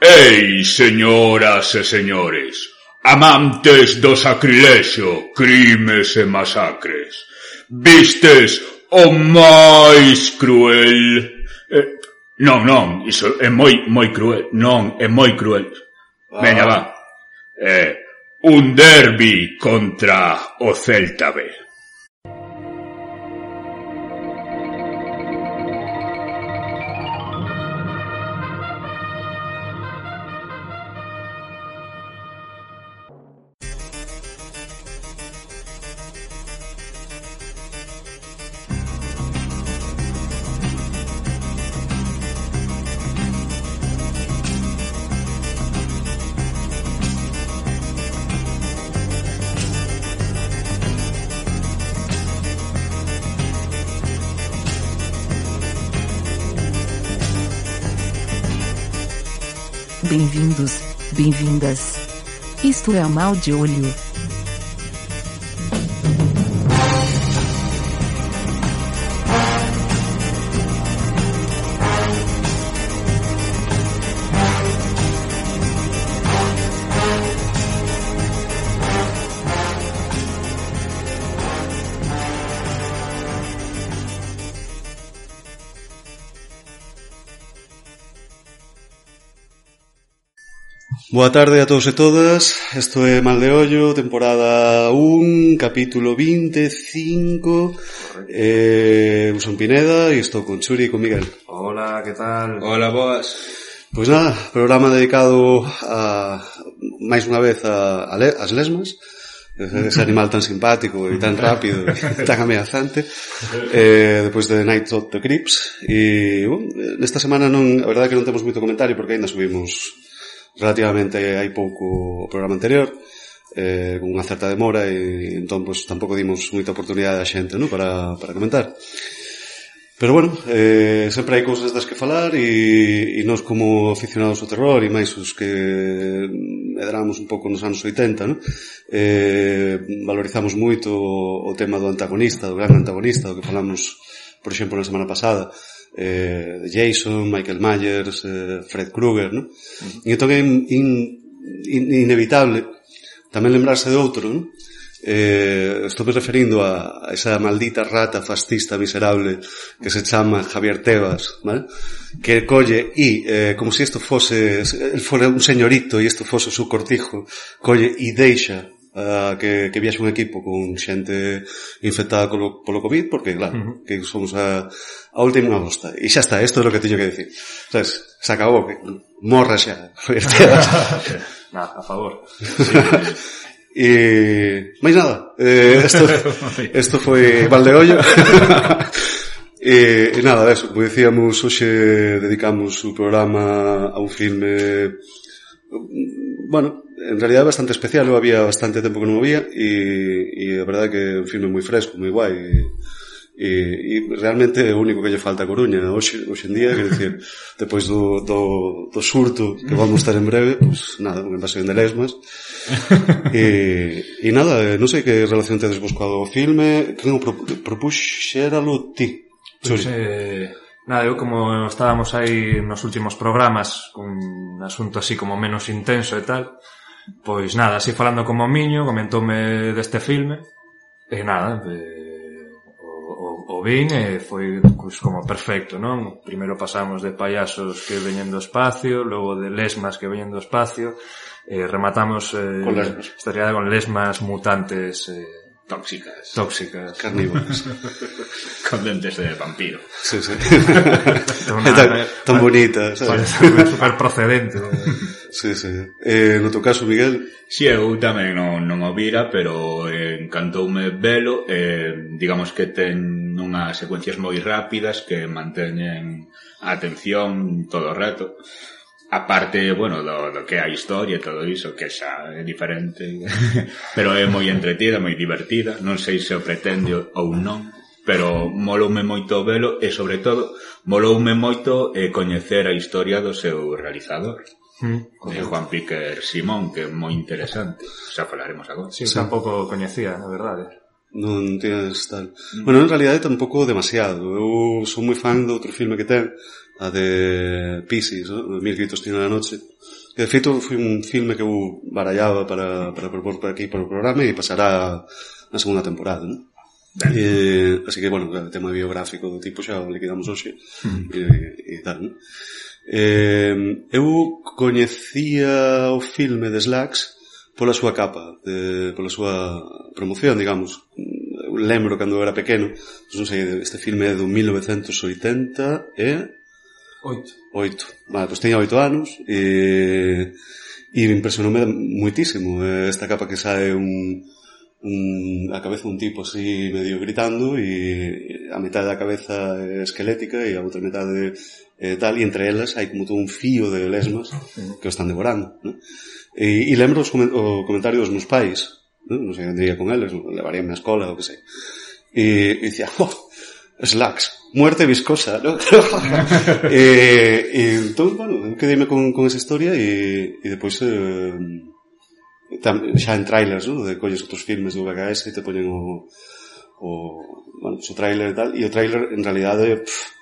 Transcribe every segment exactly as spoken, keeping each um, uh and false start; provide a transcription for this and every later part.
Ei, señoras e señores, amantes do sacrilexo, crimes e masacres, vistes o máis cruel... Eh, non, non, iso é moi, moi cruel, non, é moi cruel. Ah. Veña, va. Eh, un derbi contra o Celta B. Bem-vindos, bem-vindas. Isto é o Mal de Olho. Boa tarde a todos e todas, isto é Mal de Ollo, temporada un, capítulo veinticinco. eh, Eu son Pineda e estou con Churi e con Miguel. Hola, que tal? Hola, boas. Pois nada, programa dedicado a, máis unha vez a, a le, as lesmas, ese animal tan simpático e tan rápido e tan ameazante, eh, depois de Night of the Crips. E, bueno, nesta semana non, a verdade é que non temos moito comentario porque ainda subimos relativamente hai pouco o programa anterior, eh, con unha certa demora, e entón pues, tampouco dimos moita oportunidade a xente, ¿no? para, para comentar. Pero bueno, eh, sempre hai cousas das que falar, e, e nós como aficionados ao terror e máis os que medramos un pouco nos anos oitenta, ¿no? eh, valorizamos moito o, o tema do antagonista, do gran antagonista, do que falamos por exemplo na semana pasada, eh, Jason, Michael Myers, eh, Fred Krueger, ¿no? Uh-huh. E entón é in, in, inevitable tamén lembrarse de outro, ¿no? Eh, estou me referindo a, a esa maldita rata fascista miserable que se chama Javier Tebas, ¿vale? Que colle e, eh, como se si isto fose el fora un señorito e isto fose o seu cortijo, colle e deixa Uh, que, que viaxe un equipo con xente infectada polo, polo COVID, porque claro, uh-huh. que somos a, a última bosta, e xa está, isto é o que teño que decir, sabes, se acabou, que morra xa. Nada, a favor. E máis nada, eh, esto, esto foi Mal de Ollo. E, e nada, eso, como dicíamos, hoxe dedicamos o programa a un filme, bueno, en realidad bastante especial. Eu había bastante tempo que non o vía, e, e a verdade é que é un filme moi fresco, moi guai, e, e, e realmente é o único que lle falta a Coruña hoxe, hoxe en día, quer decir, depois do, do, do surto que vamos estar en breve, pues nada, unha invasión de lesmas. e, e nada, non sei que relación tedes vos co filme, que non pro, propuxéralo ti. Pois, eh, nada, eu como estábamos aí nos últimos programas con un asunto así como menos intenso e tal, pois nada, así falando como miño, comentoume deste filme, e nada, eh, o, o, o vin e foi pues, como perfecto, non? Primeiro pasamos de payasos que veñen do espacio, logo de lesmas que veñen do espacio, e rematamos eh, con lesmas. Esta realidad con lesmas mutantes eh, tóxicas, tóxicas, carnívoras, con dentes de vampiro. Sí, sí. Una, tan, tan bonita, sabes? Super procedente. Sí, sí. Eh, no teu caso, Miguel? Si, sí, eu tamén non, non o vira, pero eh, encantoume velo. Eh, digamos que ten unhas secuencias moi rápidas que manteñen a atención todo o rato. A parte, bueno, do, do que é a historia e todo iso, que xa é diferente, pero é moi entretida, moi divertida. Non sei se o pretende ou non, pero moloume moito velo e, sobre todo, moloume moito eh, coñecer a historia do seu realizador, mm, de Juan Piquer Simón, que é moi interesante. Xa falaremos agora. Sí, sí. Tampouco coñecía, a verdade. Non tienes tal... Mm. Bueno, en realidade tampouco demasiado. Eu sou moi fan do outro filme que ten, a de Piscis, ¿no? Mil gritos tiene la noche. Que de feito foi un filme que eu barallaba para, para propor por aquí por o programa e pasará na segunda temporada, ¿no? Eh, así que, bueno, o tema biográfico do tipo xa o liquidamos hoxe mm. e, e tal, ¿no? Eh, eu coñecía o filme de Slacks pola súa capa, de, pola súa promoción, digamos. Eu lembro cando eu era pequeno, non sei, este filme é do mil novecentos e oitenta e... Oito. Oito. Vale, pois teña oito anos e... e me impresionoume muitísimo esta capa que sae un... un a cabeza un tipo así medio gritando e a metade da cabeza é esquelética e a outra metade é tal, e entre elas hai como todo un fío de lesmas que o están devorando, ¿no? E, e lembro os, o comentario dos meus pais, ¿no? Non sei, andaría con eles, levaríame a escola ou que sei, e, e dicía, oh, Slacks, muerte viscosa, ¿no? e, e entón, bueno, quedeime con, con esa historia e, e depois eh, tam, xa en trailers, ¿no? De colles outros filmes do V H S e te poñen o, o, bueno, o trailer e tal, e o trailer en realidade pff,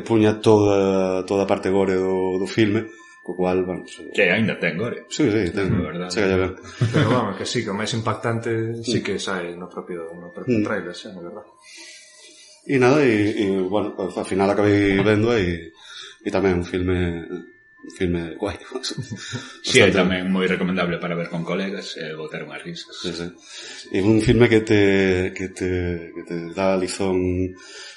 puña toda, toda a parte gore do, do filme, co cual, bueno... Se... Que ainda ten gore. Sí, sí, ten, verdade. Se galla ben. Pero vamos, que sí, que o máis impactante sí que sae no propio, no propio mm. trailer, xa, na verdade. E nada, e, e bueno, ao final acabei vendo e, e tamén un filme... un filme guai. Si, sí, é tamén moi recomendable para ver con colegas e botar unhas risas. Sí, sí. E un filme que te que te que te dá lizón,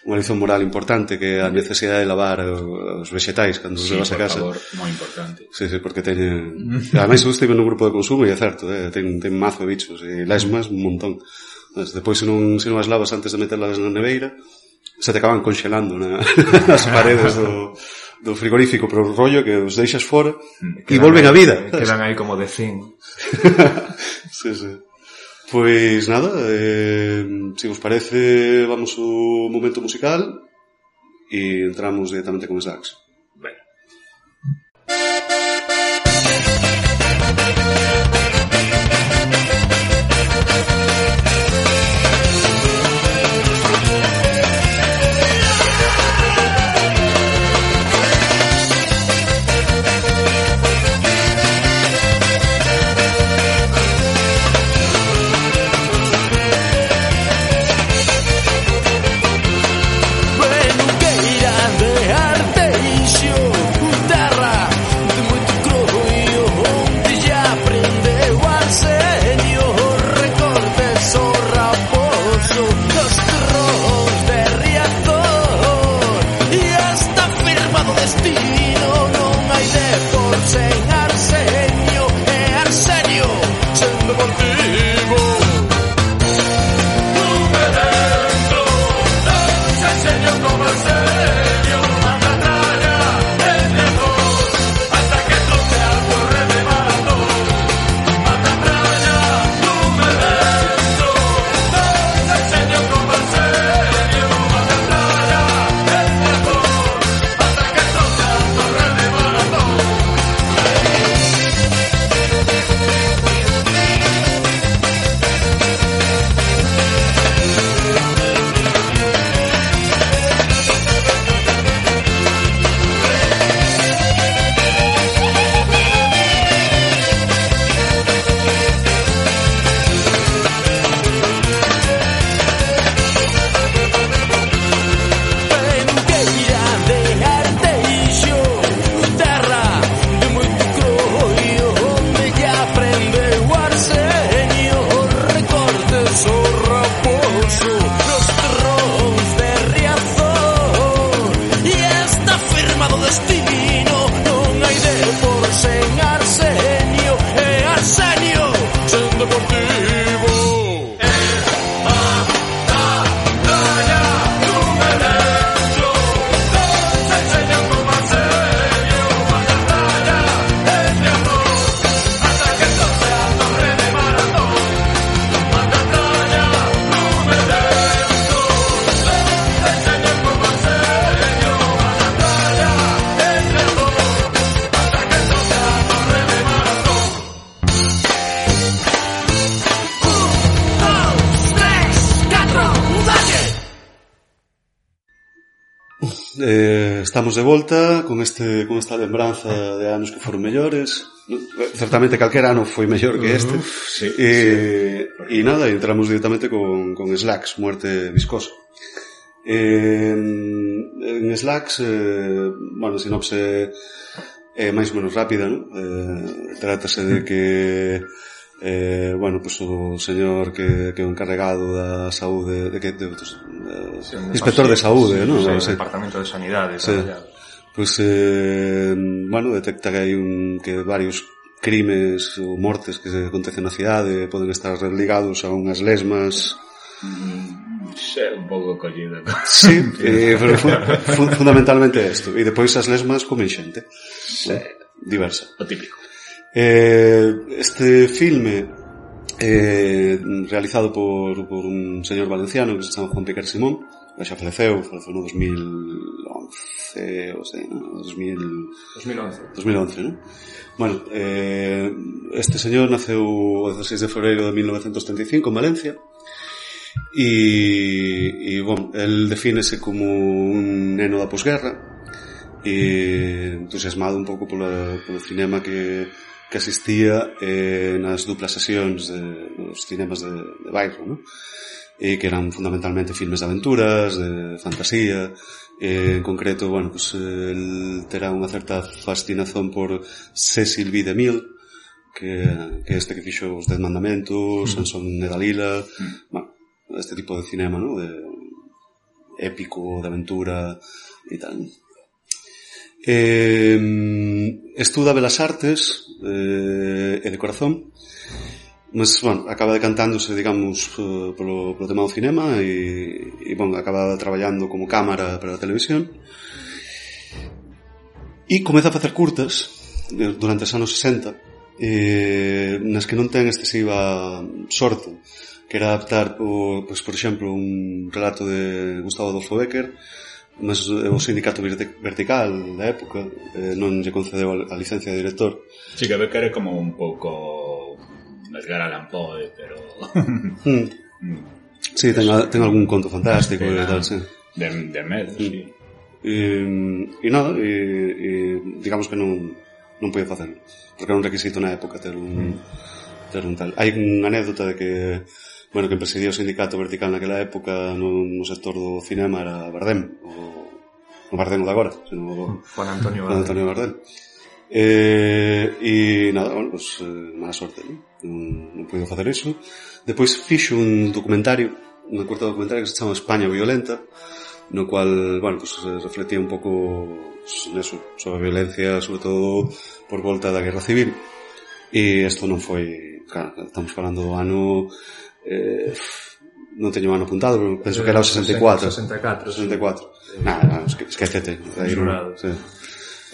unha lizón moral importante, que a necesidade de lavar os vegetais cando sí, se vas a casa. Sí, por favor, moi importante. Sí, sí, porque teñen... Ademais, eu estive nun grupo de consumo e é certo, eh, ten, ten mazo de bichos e lesmas un montón. Depois, se non, se non as lavas antes de meterlas na neveira, se te acaban conxelando na, nas paredes do... do frigorífico, pero o rollo que os deixas fora e volven a vida. Quedan aí como de zinc. Sí, sí. Pois nada, eh, se vos parece, vamos ao momento musical e entramos directamente con Slacks. Bueno. Bueno, que irá de arte eh, estamos de volta con este con esta lembranza de anos que foron mellores. Certamente calquera ano foi mellor que este. Uh, sí, e, sí. e nada, entramos directamente con, con Slacks, Muerte Viscosa. Eh, en Slacks, eh, bueno, sinopse é máis ou menos rápida, ¿no? Eh, trátase de que Eh, bueno, pues o señor que, que é o encarregado da saúde de que de, de, de, sí, inspector de saúde, sí, ¿no? Sí, sí. Departamento de Sanidade, sí. Pues eh, bueno, detecta que hai un que varios crimes ou mortes que se acontecen na cidade poden estar ligados a unhas lesmas. Mm, sí, un pouco collido. Sí, eh, pero fun, fun, fundamentalmente isto. E depois as lesmas comen xente. Sí. Diversa. O típico. Eh, este filme eh, realizado por, por un señor valenciano que se chama Juan Piquer Simón, que xa faleceu, faleceu no dos mil once, o sea, no, dos mil once, ¿no? Bueno, eh, este señor naceu o dezasseis de febreiro de mil novecentos treinta e cinco en Valencia e, e bueno, el defínese como un neno da posguerra e entusiasmado un pouco polo, polo cinema que que asistía eh, nas duplas sesións de, nos cinemas de, de bairro, ¿no? E que eran fundamentalmente filmes de aventuras, de fantasía, eh, en concreto, bueno, pues el terá unha certa fascinación por Cecil B. DeMille, que, que este que fixo os Dez Mandamentos, mm. Sansón e Dalila, mm. bueno, este tipo de cinema, ¿no? De épico, de aventura e tal, ¿no? Eh, estuda Belas Artes eh, e de corazón, mas, bueno, acaba decantándose, digamos, polo, polo tema do cinema e, e, bueno, acaba traballando como cámara para a televisión e comeza a facer curtas durante os anos sesenta eh, nas que non ten excesiva sorte, que era adaptar, o, pues, por exemplo, un relato de Gustavo Adolfo Bécquer, mas o sindicato vertical da época eh, non lle concedeu a licencia de director. Sí, que Becker é como un pouco Edgar Allan Poe, pero mm. sí, ten, ten algún conto fantástico e tal, sí. De, de medo, mm. sí. E, e nada, e, e digamos que non non podía facer, porque era un requisito na época ter un mm. ter un tal. Hai unha anécdota de que bueno, que presidía o sindicato vertical naquela época no, no sector do cinema era Bardem, o, o Bardem de agora, sino o Juan Antonio Juan Antonio Bardem. Eh, e nada, bueno, pues eh, mala sorte, ¿no? Non, non puido facer iso. Depois fixo un documentario, un corto documentario que se chama España Violenta, no cual, bueno, pues refletía un pouco neso, sobre a violencia, sobre todo por volta da Guerra Civil. E isto non foi, claro, estamos falando do ano Eh, non teño ano apuntado, pero penso que era o sesenta e cuatro. sesenta e catro. sesenta e cuatro. Nada, esquecete. Aí non, sí.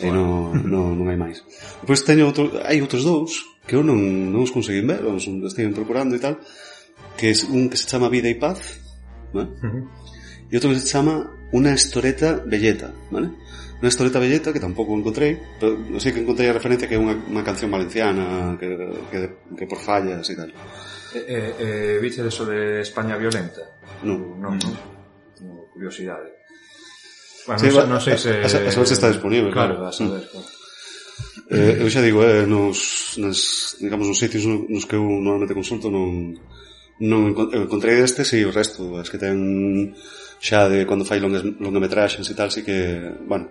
Aí non, non, non hai máis. Depois teño outro, hai outros dous que eu non, non os conseguín ver, os estiven procurando e tal, que é un que se chama Vida e Paz, ¿vale? Uh-huh. E outro que se chama Una Historieta Belleta, ¿vale? Una Historieta Belleta que tampouco encontrei, pero non sei que encontrei a referencia que é unha, unha canción valenciana que, que, que por fallas e tal. Eh, eh, eh, viche eso de España Violenta? Non, non, non. Tengo curiosidade. Bueno, sí, non, non sei se... A, a saber se está disponible. Claro, a saber, claro. Eh, eu xa digo, eh, nos, nos, digamos, nos sitios nos que eu normalmente consulto non, non encontrei este, si, sí, o resto, es que ten xa de cando fai longas, longametraxes e tal, si que, bueno...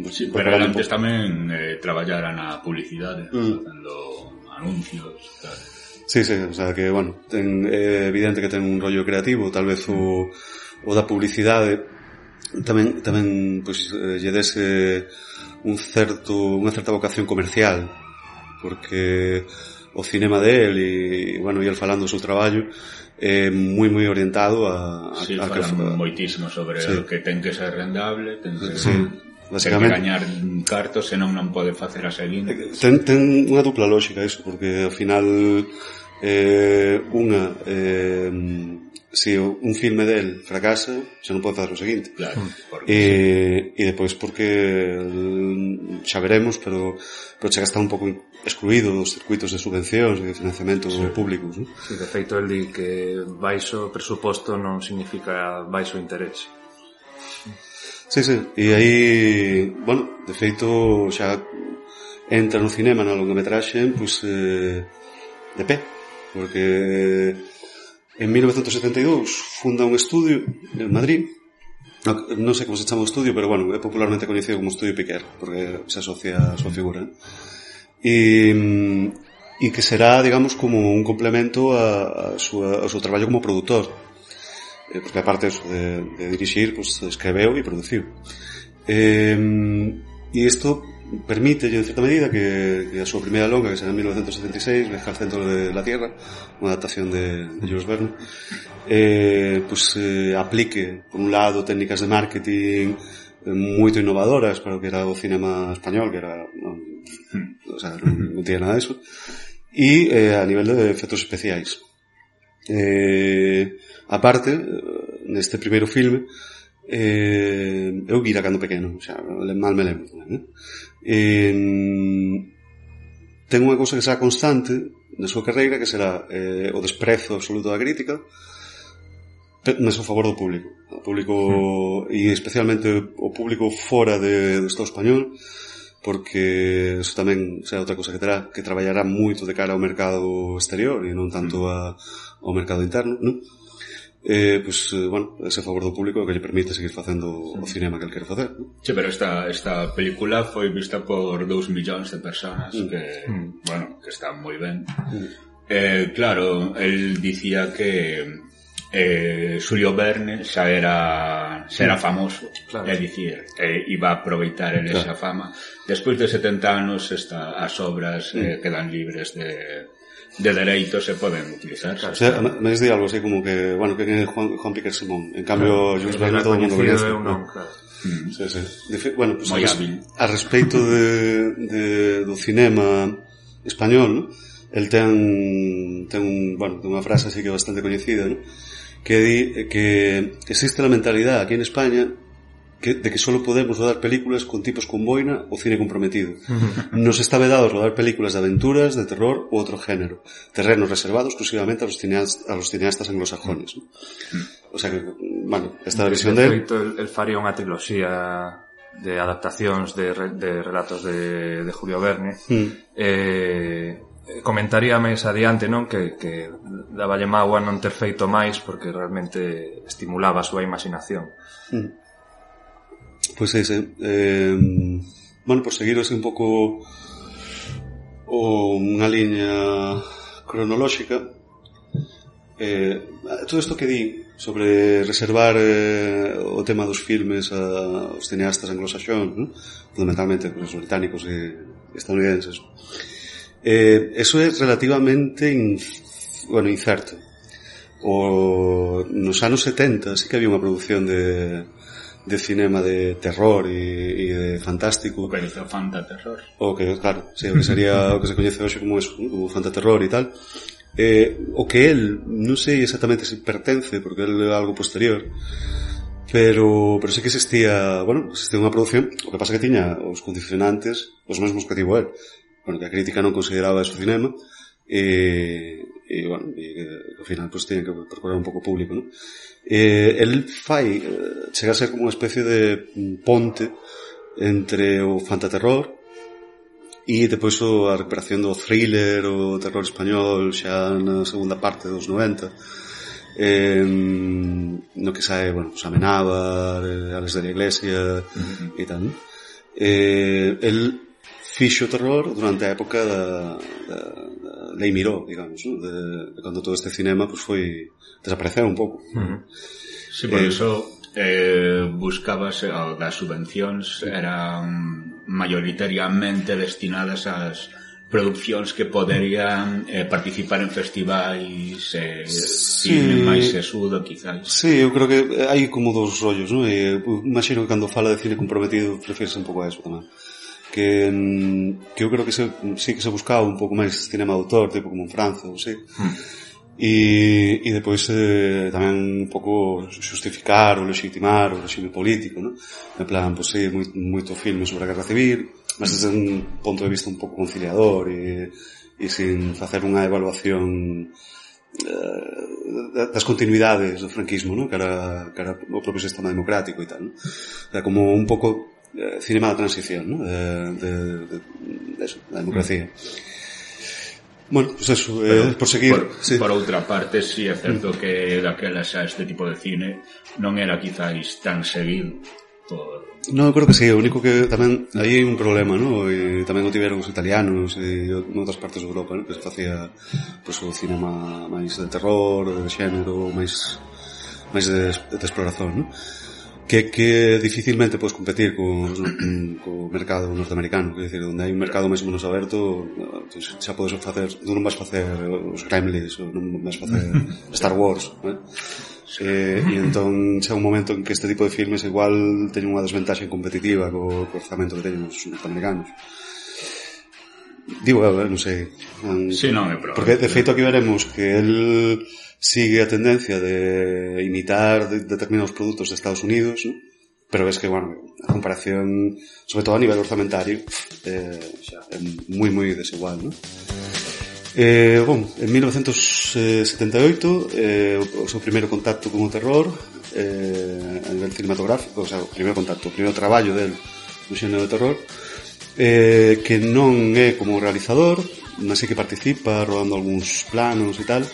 Sí, pero antes tamén eh, traballara na publicidade, mm. facendo anuncios, tal. Sí, sí, o sea que, bueno, ten, é evidente que ten un rollo creativo, tal vez o, o da publicidade tamén, tamén, pois, pues, lle dese un certo, unha certa vocación comercial, porque o cinema de él e, bueno, e el falando do seu traballo é moi moi orientado a... a sí, a falan que, moitísimo sobre sí. o que ten que ser rendable, ten que... Sí. Básicamente, ten que gañar cartos, senón non pode facer a seguinte. Ten, ten unha dupla lógica iso, porque ao final eh, unha eh, si un filme del fracasa, xa non pode facer o seguinte. Claro, e, e depois porque xa veremos, pero pero chega a estar un pouco excluído dos circuitos de subvencións e de financiamento sí. públicos, ¿no? Sí, de feito el di que baixo presuposto non significa baixo interés. Sí, sí, e aí, bueno, de feito xa entra no cinema na longametraxe, pois, eh, de pé, porque en mil novecientos setenta e dous funda un estudio en Madrid, no, non sei como se chama o estudio, pero bueno, é popularmente coñecido como Estudio Piquer, porque se asocia a súa figura, ¿eh? e, e que será, digamos, como un complemento a, a súa, ao seu traballo como produtor, eh, porque aparte eso de, de dirixir, pues escreveu e produciu. Eh, e isto permite, en certa medida, que, que a súa primeira longa, que será en mil novecientos setenta e seis, Viaje al centro de la Tierra, unha adaptación de, de Jules Verne, eh, pues eh, aplique, por un lado, técnicas de marketing moito innovadoras para o que era o cinema español, que era non, o sea, non, non tiene nada de eso, e eh, a nivel de efectos especiais. Eh, aparte, neste primeiro filme, eh, eu vira cando pequeno, o sea, mal me lembro tamén, eh? Eh, ten unha cousa que será constante na súa carreira, que será eh, o desprezo absoluto da crítica, mas a favor do público. O público, mm. e especialmente o público fora de, do Estado español, porque eso tamén será outra cosa que terá, que traballará moito de cara ao mercado exterior e non tanto a, ao mercado interno, non? Eh, pues, eh, bueno, ese favor do público que lle permite seguir facendo o cinema que el quere facer, non? Sí, pero esta, esta película foi vista por dous millóns de personas, mm. que, mm. bueno, que está moi ben. Mm. Eh, claro, el dicía que eh, Xulio Verne xa era xa era famoso, claro. É dicir, eh, iba a aproveitar el esa claro. fama. Despois de setenta anos esta, as obras eh, quedan libres de, de dereitos e poden utilizar. Claro. O sea, me has dicho algo así como que, bueno, que é Juan, Juan Piquer Simón. En cambio, Jules claro, Verne todo o mundo coñece. Non, claro. Mm. Sí, sí. De, bueno, pues, a, a respeito de, de, do cinema español, ¿no? El ten, ten un, bueno, ten unha frase así que é bastante coñecida, ¿no? Que di que existe la mentalidad aquí en España que, de que solo podemos rodar películas con tipos con boina o cine comprometido. Nos está vedado rodar películas de aventuras, de terror u otro género, terrenos reservados exclusivamente a los cineastas, a los cineastas anglosajones, ¿no? O sea que, bueno, esta de visión de él... El, el faría unha triloxía de adaptacións de, de relatos de, de Julio Verne. Mm. Eh... comentaría máis adiante, non, que, que daballe mágoa non ter feito máis porque realmente estimulaba a súa imaginación. Mm. Pois pues ese eh, bueno, por seguir así un pouco o unha liña cronolóxica, eh, todo isto que di sobre reservar eh, o tema dos filmes a, aos cineastas anglosaxóns, ¿no? Fundamentalmente os británicos e estadounidenses, Eh, eso é relativamente in, bueno, incerto. O, nos anos setenta sí que había unha produción de, de cinema de terror e, e de fantástico. O que dice o fantaterror. O que, claro, sí, o que sería o que se coñece hoxe como eso, como fantaterror e tal. Eh, o que el, non sei exactamente se pertence, porque el é algo posterior, pero, pero sí que existía, bueno, existía unha produción, o que pasa que tiña os condicionantes, os mesmos que tivo el. Bueno, que a crítica non consideraba eso cinema e, e bueno, e que ao final pues teñen que procurar un pouco público, ¿no? Eh, el fai eh, chega a ser como unha especie de ponte entre o fantaterror e depois a recuperación do thriller, o terror español xa na segunda parte dos noventa, eh, no que sae, bueno, pues Amenábar, Alex de la Iglesia uh-huh. e tal, ¿no? Eh, el fixo terror durante a época da, da, da Lei Miró, digamos, ¿no? de, de cando todo este cinema pues foi desapareceu un pouco. Uh-huh. Sí, por eh, eso eh, buscabas eh, das subvencións eran mayoritariamente destinadas ás produccións que poderían eh, participar en festivais eh, sí, cine máis sesudo, quizás. Sí, eu creo que hai como dos rollos, ¿no? E, imagino que cando fala de cine comprometido refieres un pouco a eso tamén. Que, que eu creo que se, sí que se buscaba un pouco máis cinema de autor, tipo como en Francia, ou sí. Mm. E, e depois eh, tamén un pouco justificar ou legitimar o regime político, ¿no? En plan, pues sí, moi, moito filme sobre a guerra civil, mas desde un punto de vista un pouco conciliador e, e sin facer unha evaluación uh, das continuidades do franquismo, ¿no? Que era, que era o propio sistema democrático e tal, ¿no? Era como un pouco uh, cinema da transición, ¿no? De, de, de, de eso, da democracia. Bueno, pues eso, eh, por seguir... Por, sí. Por outra parte, sí é certo mm. que daquela xa este tipo de cine non era quizáis tan seguido por... No, eu creo que sí, o único que tamén aí hai un problema, ¿no? E tamén o tiveron os italianos e noutras partes de Europa, ¿no? Que se facía pues, o cinema máis de terror, de xénero, máis máis de, de exploración, ¿no? Que, que dificilmente podes competir co, co mercado norteamericano, que decir, onde hai un mercado máis ou menos aberto, pues, xa podes facer, tú non vas facer os Gremlins, ou non vas facer Star Wars, ¿no? Eh, e entón xa un momento en que este tipo de filmes igual teñen unha desventaxa competitiva co, co orzamento que teñen os norteamericanos. Digo, eh, non sei um, sí, non é probable, porque de feito aquí veremos que el sigue a tendencia de imitar de, determinados produtos de Estados Unidos, ¿no? Pero ves que, bueno, a comparación sobre todo a nivel orzamentario eh, xa, é moi moi desigual, ¿no? Eh, bon, en mil novecientos setenta e oito eh, o, o seu primeiro contacto con o terror eh, a nivel cinematográfico, o sea, o primeiro contacto, o primeiro traballo del do xénero de terror, eh, que non é como realizador, mas sí que participa rodando algúns planos e tal,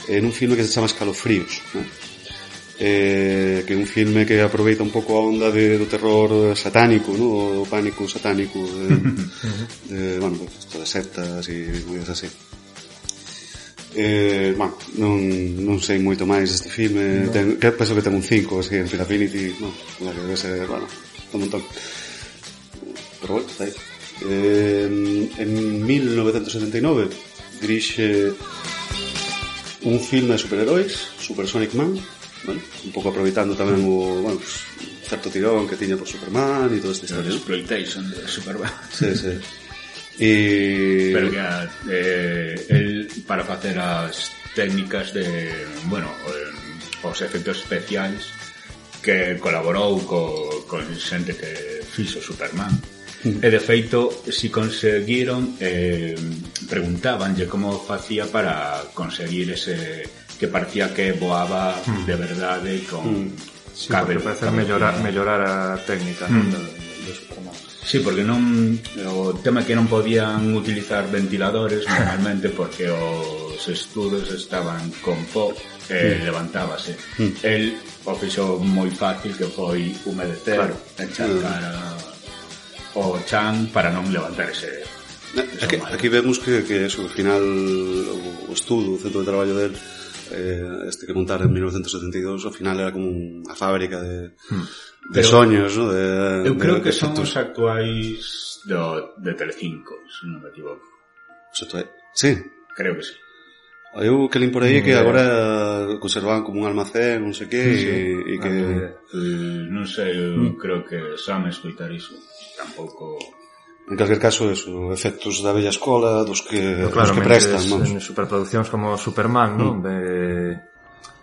en un filme que se chama Escalofríos, ¿no? Eh, que é un filme que aproveita un pouco a onda de, do terror satánico, ¿no? O pánico satánico de, de, bueno, pues, esto de sectas e cousas así. Eh, bueno, non, non sei moito máis deste filme, no. ten, que penso que ten un cinco, así, en Filaffinity, no, que debe ser, bueno, un montón. Pero bueno, está aí. Eh, en mil novecientos setenta e nove dirixe un filme de superheróis, Supersonic Man, bueno, un pouco aproveitando tamén o, bueno, pues, certo tirón que tiña por Superman e todo este historia. Exploitation de Superman. Sí, sí. E... Pero que eh, el para facer as técnicas de, bueno, eh, os efectos especiais que colaborou co, con xente que fixo Superman. Mm. E de feito, si conseguiron eh, preguntabanlle como facía para conseguir ese que parecía que voaba mm. de verdade con mm. sí, cabelo, porque parece mellorar, mellorar a técnica, mm. ¿no? de, de Superman. Sí, porque non o tema que non podían utilizar ventiladores normalmente porque os estudos estaban con pó e mm. levantábase. Mm. El o fixo moi fácil que foi humedecer, claro. encharcar mm. o chan para non levantar ese... Aquí, aquí vemos que, que eso, ao final o estudo, o centro de traballo del eh, este que montaron en mil novecientos setenta e dous, ao final era como unha fábrica de... Mm. de pero, soños, ¿no? De, eu creo de, que de son os actuais do, de Telecinco, se non me equivoco. Sí. Creo que sí. Eu que lin por aí mm, que agora conservaban como un almacén, non sei que, sí, e, e que... Eh, non sei, eu mm. creo que sabe escoitar iso. Tampouco... En calquer caso, eso, efectos da bella escola, dos que, no, claro, dos que prestan, vamos. En superproduccións como Superman, mm. non? De...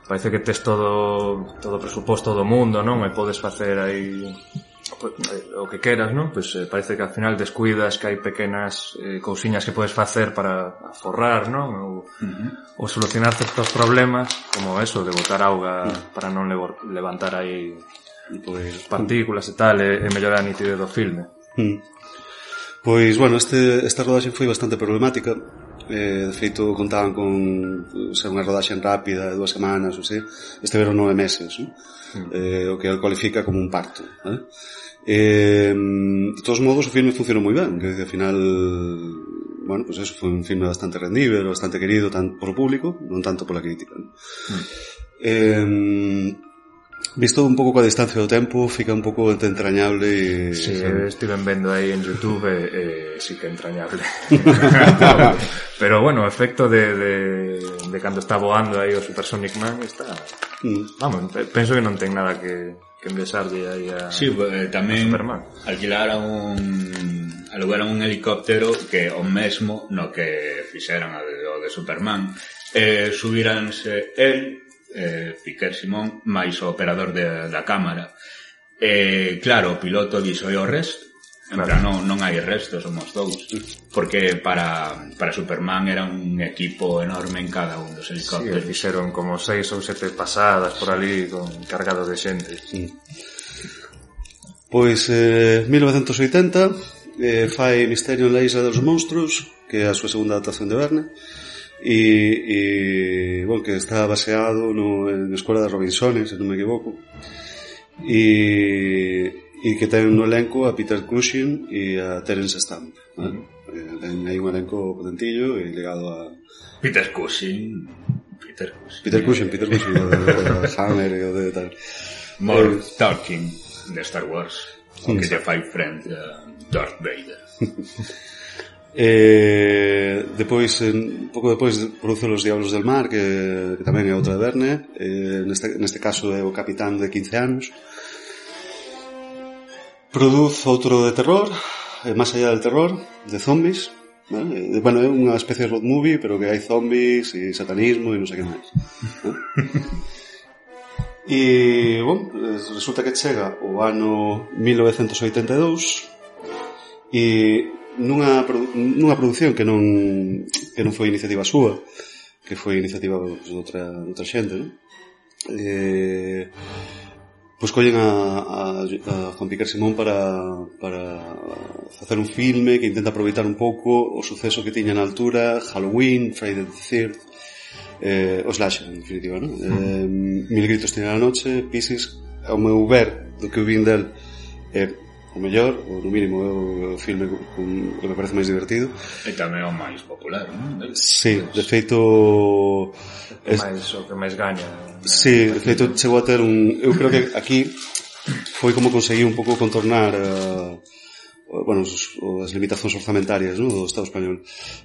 Parece que tes todo todo presuposto do mundo, non? E podes facer aí o que queras, non? Pois pues, eh, parece que al final descuidas que hai pequenas eh, cousiñas que podes facer para aforrar, non? Ou, uh-huh. ou solucionar certos problemas, como eso, de botar auga uh-huh. para non levo, levantar aí pues, partículas e tal, e, e mellorar a nitidez do filme. Uh-huh. Pois, bueno, este, esta rodaxe foi bastante problemática. Eh, de feito contaban con ser unha rodaxe rápida de dúas semanas ou sei, estiveron nove meses, ¿no? Mm. eh, o que el cualifica como un parto, ¿eh? Eh, de todos modos o filme funcionou moi ben, que ao final, bueno, pues eso foi un filme bastante rendible, bastante querido tanto por o público, non tanto pola crítica, ¿no? Mm. eh, visto un pouco coa distancia do tempo fica un pouco entrañable e... Sí, estiven vendo aí en YouTube e, e sí que entrañable. Pero bueno, o efecto de, de, de cando está voando aí o Supersonic Man está... Mm. Vamos, penso que non ten nada que, que envesarlle aí a, sí, eh, tamén a Superman. Alquilaran un... alugaron un helicóptero que o mesmo no que fixeran o de Superman. Eh, subiranse el... eh, Piquer Simón máis o operador de, da cámara, eh, claro, o piloto dixo e o resto En plan, non, non hai restos, somos dous. Porque para, para Superman era un equipo enorme en cada un dos helicópteros. Sí, fixeron como seis ou sete pasadas por ali con cargado de xente. Sí. Pois, eh, mil novecentos oitenta, eh, fai Misterio en la Isla dos Monstruos, que é a súa segunda adaptación de Verne, e, e bueno, que está baseado no, en Escola de Robinsones, se non me equivoco, e, e que ten no elenco a Peter Cushing e a Terence Stamp, ¿vale? Uh-huh. Ten aí un elenco potentillo e ligado a Peter Cushing Peter Cushing Peter Cushing, Peter Cushing o de, de Hammer e o de tal More eh, Talking de Star Wars, o que lle fai frente a Darth Vader. Eh, depois, un pouco depois, produce Los Diablos del Mar, que, que tamén é outra de Verne. Eh, neste, neste caso é o capitán de quince anos. Produce outro de terror, eh, Más allá del terror, de zombies, ¿vale? Eh, bueno, é unha especie de road movie, pero que hai zombies e satanismo e non sei que máis, ¿no? E, bueno, resulta que chega o ano mil novecentos oitenta e dous e nunha, nunha produción que non que non foi iniciativa súa, que foi iniciativa pues, de outra, de outra xente, ¿no? Eh, pois collen a, a, a Juan Piquer Simón para, para facer un filme que intenta aproveitar un pouco o suceso que tiña na altura, Halloween, Friday the third, eh, o slasher, en definitiva, ¿no? Eh, Mil gritos tiene la noche, Piscis, ao meu ver do que eu vin del, eh, o mellor, ou no mínimo é o filme con, que me parece máis divertido. E tamén o máis popular, non? Sí, de feito es... máis, o que máis gaña. Sí, de feito chegou a ter un... Eu creo que aquí foi como conseguí un pouco contornar uh, bueno, os, as limitacións orzamentarias, ¿no? Do Estado español,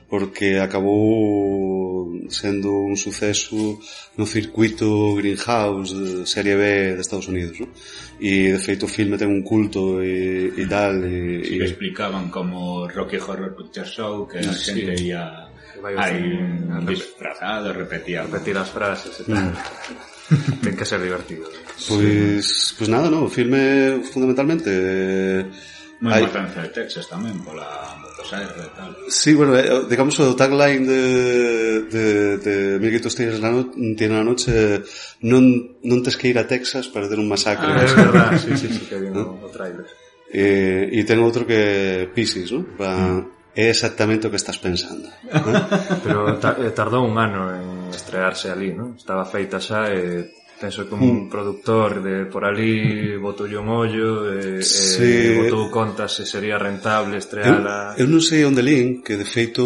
porque acabou sendo un suceso no circuito Greenhouse de serie B de Estados Unidos, ¿no? E de feito o filme ten un culto e, e tal e, sí, e... explicaban como Rocky Horror Picture Show que a sí. xente ia aí disfrazado, repetía repetir as frases e tal. Mm. Ten que ser divertido. Pois, pois nada, no, o filme fundamentalmente moi importante de Texas tamén pola motosserra e tal. Sí, bueno, digamos o tagline de de, de Mil gritos tiene la, no, tiene la noche, non, non tes que ir a Texas para ter un masacre. Ah, é verdad, sí, sí, sí, que vi no, no trailer. E, e ten outro que Piscis, ¿no? Pa, é exactamente o que estás pensando, ¿no? Pero ta, tardou un ano en estrearse ali, ¿no? Estaba feita xa e penso que un mm. productor de por ali botou un ollo e, sí. e botou contas se sería rentable estreala. Eu, eu non sei onde lín que de feito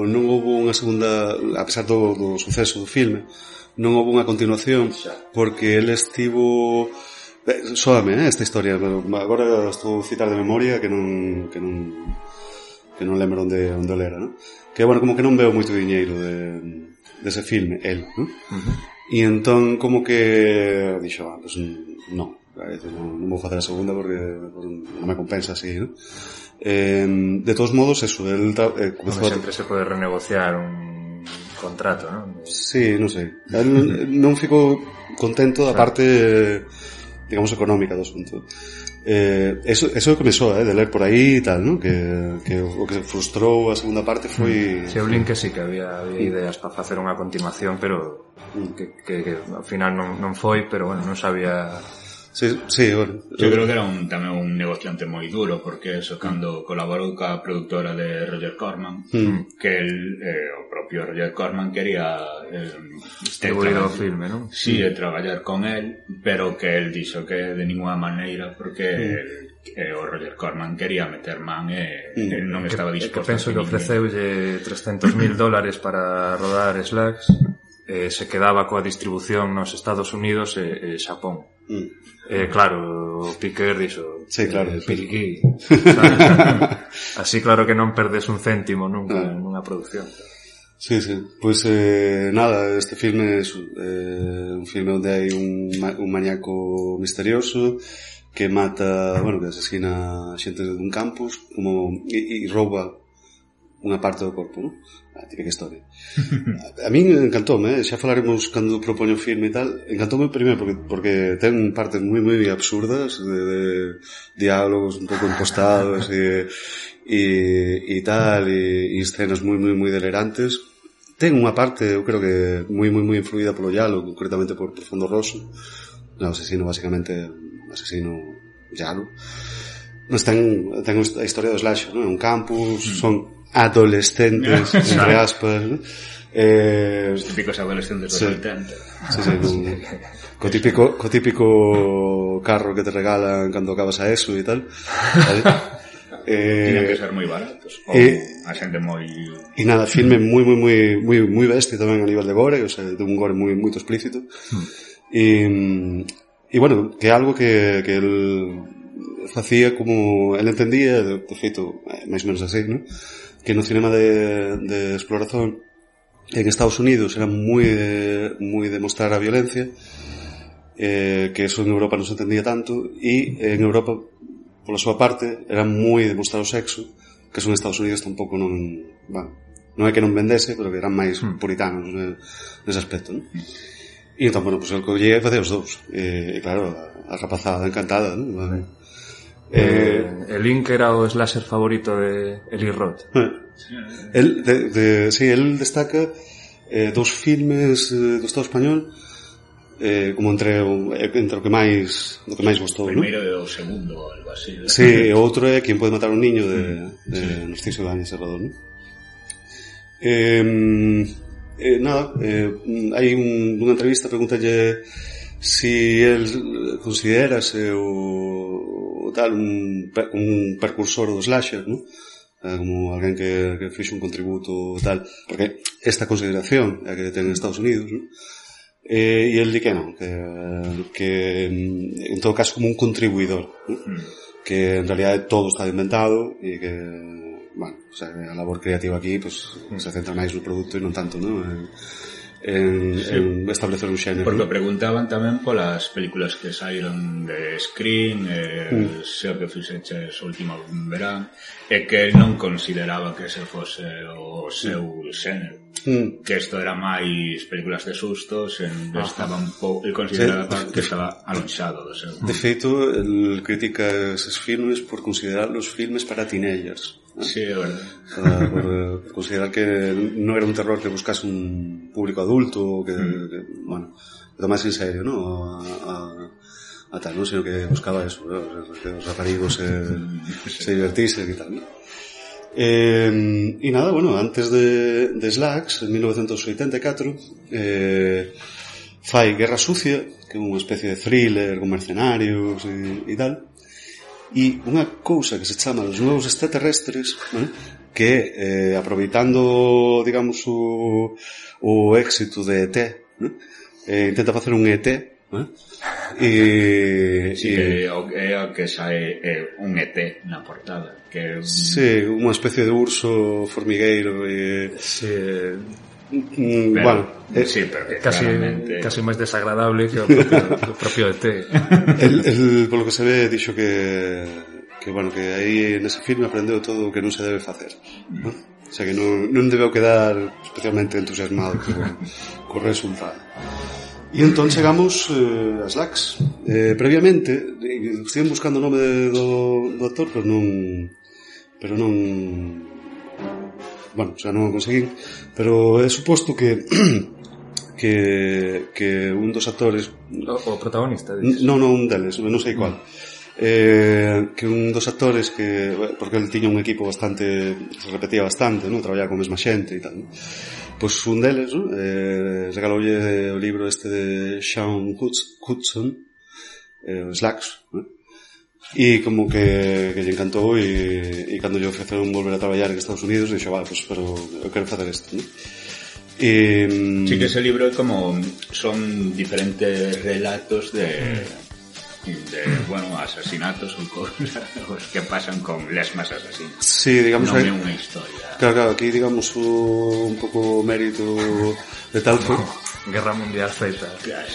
non houve unha segunda, a pesar do, do suceso do filme, non houve unha continuación porque ele estivo eh, sóame, eh, esta historia, pero agora estou a citar de memoria que non que non que non lembro onde onde era, ¿no? Que bueno, como que non veo moito diñeiro de dese filme, el, ¿no? Uh-huh. E entón como que dixo, ah, pues non, non, non vou facer a segunda porque non me compensa así, ¿no? Eh, de todos modos, eso, el eh, comezou sempre a... se pode renegociar un contrato, ¿no? Sí, non sei. El non fico contento da parte, digamos, económica do asunto. Eh, eso, eso é o que me soa, eh, de ler por aí e tal, ¿no? Que, que o que frustrou a segunda parte foi... Se eu lin que sí, que había, había ideas para facer unha continuación, pero que, que, que ao final non, non foi, pero bueno, non sabía... Sí, sí, bueno. Eu creo que era un, tamén un negociante moi duro, porque eso, cando colaborou ca productora de Roger Corman, mm. que el, eh, o propio Roger Corman quería eh, distribuir o filme, non? Sí, mm. traballar con él, pero que el dixo que de ninguna maneira, porque mm. el, eh, o Roger Corman quería meter man e mm. el non estaba disposto. Que penso que ofreceulle trescentos mil dólares para rodar Slugs, eh, se quedaba coa distribución nos Estados Unidos e, e Xapón. Mm. Eh, claro, o Piquer dixo sí, claro, eh, Piriquí así claro que non perdes un céntimo nunca en unha producción. Sí, sí, pois pues, eh, nada, este filme é eh, un filme onde hai un, un maníaco misterioso que mata, bueno, que asesina a xente dun campus como, e, e rouba unha parte do corpo, non? A típica historia. A min encantoume, eh? Xa falaremos cando propoño o filme e tal. Encantoume primeiro porque, porque ten partes moi moi absurdas de, de diálogos un pouco impostados e, e, e tal, e, e escenas moi moi moi delirantes. Ten unha parte, eu creo que moi moi moi influída polo Yalo, concretamente por Profundo Rosso. No, asesino basicamente asesino Yalo. Mas ten, ten a historia do slasher, non? Un campus, mm. son adolescentes, entre aspas, ¿no? Eh, os típicos adolescentes dos sí, oitenta. Sí, sí, con, co típico, co típico carro que te regalan cando acabas a eso e tal, ¿vale? Eh, Tienen que ser moi baratos ou eh, a xente moi... E nada, filme moi, moi, moi, moi, moi bestia tamén a nivel de gore, o sea, de un gore moi, moi explícito. Hmm. E, e bueno, que é algo que, que el facía como el entendía, de, de feito, máis ou menos así, ¿no? Que no cinema de, de exploración en Estados Unidos era moi de, moi de mostrar a violencia, eh, que eso en Europa non se entendía tanto, e en Europa, pola súa parte, era moi de mostrar o sexo, que eso en Estados Unidos tampouco non, bueno, non é que non vendese, pero que eran máis puritanos nese aspecto, non? E entón, bueno, pues el collía e facía os dous, e, e claro, a rapazada encantada, non? Vale. Eh, el Link era o slasher favorito de Eli Roth. Eh, el, de, de, sí, el destaca eh, dos filmes eh, do Estado español eh, como entre o, entre o que máis do que máis gostou, ¿no? Primeiro e o segundo, algo así. ¿No? Sí, e outro é Quien puede matar a un niño de, de sí. Narciso Ibáñez Serrador, ¿no? Eh, eh, nada, eh, hai un, unha entrevista, pregúntalle si él considerase o, o tal un, un precursor do slasher, ¿no? Eh, como alguén que, que fixo un contributo tal, porque esta consideración é que ten en Estados Unidos, ¿no? Eh, e el di que non, que, que en todo caso como un contribuidor, ¿no? Mm. Que en realidad todo está inventado e que, bueno, o sea, a labor creativa aquí pues mm. se centra máis no produto e non tanto, ¿no? En, En, sí. en establecer un xénero. Porque preguntaban tamén polas películas que saíron de Scream, eh, mm. se o que fixeches o último verán, e que non consideraba que ese fose o seu xénero. Mm. Que isto era máis películas de sustos, en ah. estaba un pouco, el consideraba sí. que estaba alonxado do seu. De feito, el critica esos filmes por considerarlos filmes para teenagers. ¿No? Sí, é verdade. Por, por, por considerar que non era un terror que buscase un público adulto, que, mm. que bueno, que tomase en serio, ¿no? A, a, a tal, ¿no? Sino que buscaba eso, ¿no? Que os raparigos se, se divertisen e tal, ¿no? Eh, e nada, bueno, antes de, de Slags, en mil novecientos oitenta e catro, eh, fai Guerra Sucia, que é unha especie de thriller con mercenarios e, e tal. E unha cousa que se chama Los Nuevos Extraterrestres, ¿vale? Que eh, aproveitando, digamos, o, o éxito de E T, ¿no? eh, intenta facer un E T, ¿no? E, sí, e, é o que sae é un E T na portada, que un... Sí, unha especie de urso formigueiro e... Sí, Mm, pero, bueno, eh, sí, pero que casi, claramente... casi máis desagradable que o propio, o propio E T. el, el, polo que se ve, dixo que que, bueno, que aí nese filme aprendeu todo o que non se debe facer, ¿no? O sea, que non, non debeu quedar especialmente entusiasmado co, co resultado. E entón chegamos eh, a Slags. Eh, previamente, estive buscando o nome de, do, do actor, pero non... Pero non... Bueno, o sea, non o conseguín, pero é suposto que que que un dos actores o, o protagonista dices. Non, non, un deles, non sei cual. Eh, que un dos actores que porque el tiña un equipo bastante, se repetía bastante, ¿no? Traballaba con a mesma xente e tal, ¿no? Pois un deles, ¿no? Eh, regaloulle o libro este de Sean Hudson, eh, Slags, ¿no? E como que, que lle encantou e, e cando lle ofreceron volver a traballar en Estados Unidos dixo, vale, pues, pero eu quero facer isto, ¿no? E, sí, que ese libro é como son diferentes relatos de de, bueno, asesinatos ou cosas que pasan con lesmas asesinos. Sí, digamos, non é unha historia. Claro, claro, aquí digamos o, un pouco mérito de tal que Guerra Mundial Z. Claro.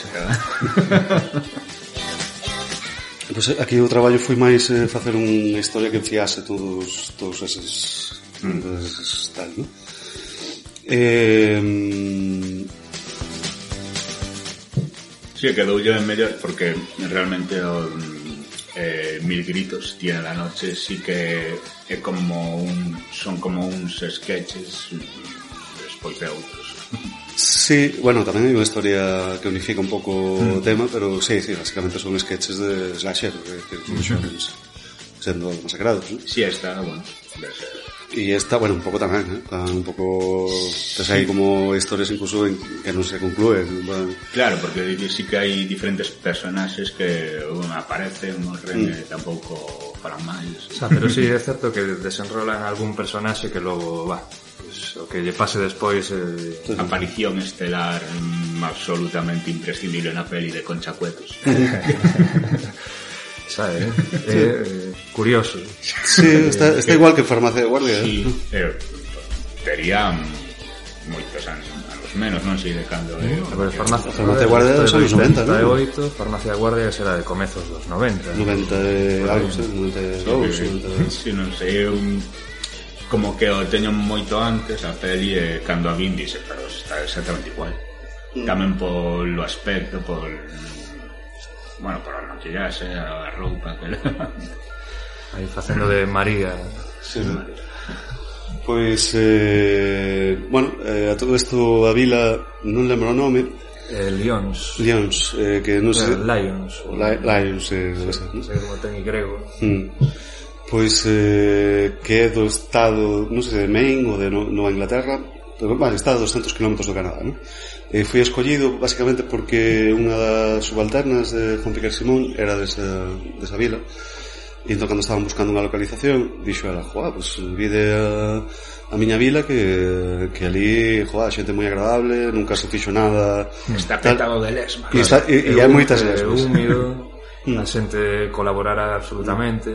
Pues aquí o traballo foi máis eh, facer unha historia que enfiase todos todos eses Mm. Entonces, tal, ¿no? Eh... Sí, quedou yo en mellor porque realmente o, eh, Mil gritos tiene la noche, sí que é como un, son como uns sketches despois de outros. Sí, bueno, tamén hai unha historia que unifica un pouco mm. o tema, pero sí, sí, básicamente son sketches de slasher, que, que son mm-hmm. sendo masacrados, ¿no? Sí, está, bueno, debe ser. Y esta, bueno, un pouco tamén, ¿eh? Un pouco... Pues hai como historias incluso en que non se conclúen. Bueno. Claro, porque sí que hai diferentes personaxes que un aparece, morren mm. e tampouco falan máis. O sea, pero sí, é certo que desenrolan algún personaxe que logo, va, pues, o que lle pase despois... Eh... Aparición estelar mm, absolutamente imprescindible na peli de Concha Cuetos. Sabe, eh? Sí. Eh, curioso. Sí, está, está igual que Farmacia de Guardia. Sí, eh, tería moitos anos, anos menos, non sei de cando. Eh, a ver, Farmacia, Farmacia de Guardia son os noventa, non? oitenta e oito, Farmacia de Guardia será de comezos dos noventa. noventa e algo, noventa e dous. Si, non sei, un como que o teño moito antes a peli e cando a vin dice, pero está exactamente igual. Mm. Tamén polo aspecto, por bueno, por a maquillaxe, a roupa que leva. Aí facendo de María. Sí, sí. Pois, eh, bueno, eh, a todo isto a vila non lembro o nome. Eh, Lions. Lions, eh, que non sei... Lions. Li Lions, eh, non sei, non sei como ten en grego. Mm. Pois, eh, que é do estado, non sei se de Maine ou de Nova Inglaterra, pero, vale, está a doscientos kilómetros do Canadá, non? Eh, fui escollido basicamente porque unha das subalternas de Juan Piquer Simón era desa, desa vila, e entón cando estaban buscando unha localización dixo ela, joa, pues vide a, a miña vila que, que ali, joa, xente moi agradable, nunca se fixo nada, está petado de lesmas, e, está, e, e hai moitas lesmas, é húmido, a xente colaborara absolutamente.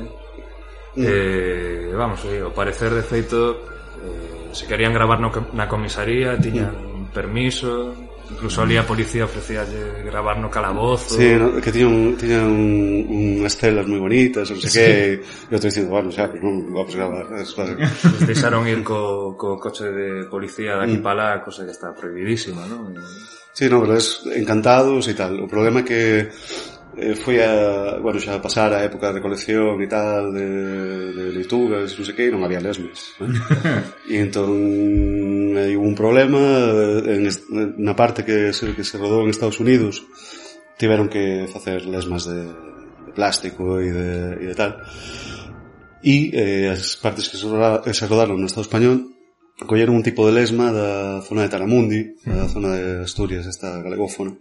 Mm. Eh, vamos, o parecer de feito, eh, se querían gravar no, na comisaría tiñan mm. permiso, incluso ali a policía ofrecía gravar no calabozo. Sí, no, que tiña un, tiña un, unhas celas moi bonitas, non sei sí. que, e outro dicindo, bueno, xa, pues non vamos a gravar. Nos deixaron ir co, co coche de policía de aquí mm. para lá, cosa que está prohibidísima, non? Sí, no, pero es encantados e tal. O problema é que eh, foi a, bueno, xa a pasar a época de recolección e tal, de, de leituras, non sei que, non había lesmas, ¿no? E entón hai un problema en est, na parte que se, que se rodou en Estados Unidos, tiveron que facer lesmas de, de plástico e de, e de tal, e eh, as partes que se, rodaron, que se rodaron no Estado español colleron un tipo de lesma da zona de Taramundi, da zona de Asturias, esta galegófona,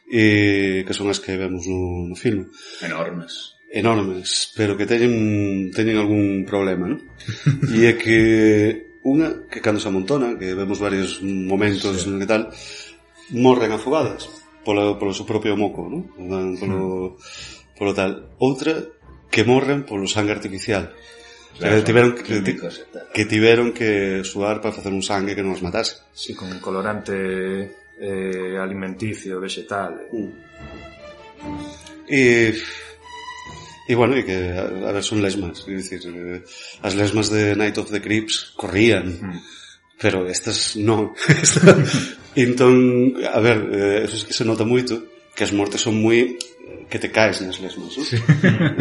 e que son as que vemos no, no filme. Enormes. Enormes, pero que teñen teñen algún problema, ¿no? E é que unha, que cando se amontona, que vemos varios momentos sí. que tal, morren afogadas polo, polo seu propio moco, ¿no? Polo, sí. polo tal. Outra, que morren polo sangue artificial. Claro, que tiveron que, que tiveron que suar para facer un sangue que non os matase. Sí, con colorante eh, alimenticio, vegetal. Mm. E, e bueno, e que a, a ver, son lesmas, é dicir, eh, as lesmas de Night of the Creeps corrían, mm. pero estas non. Entón, a ver, eh, eso es que se nota moito, que as mortes son moi que te caes nas lesmas, ¿no? Sí.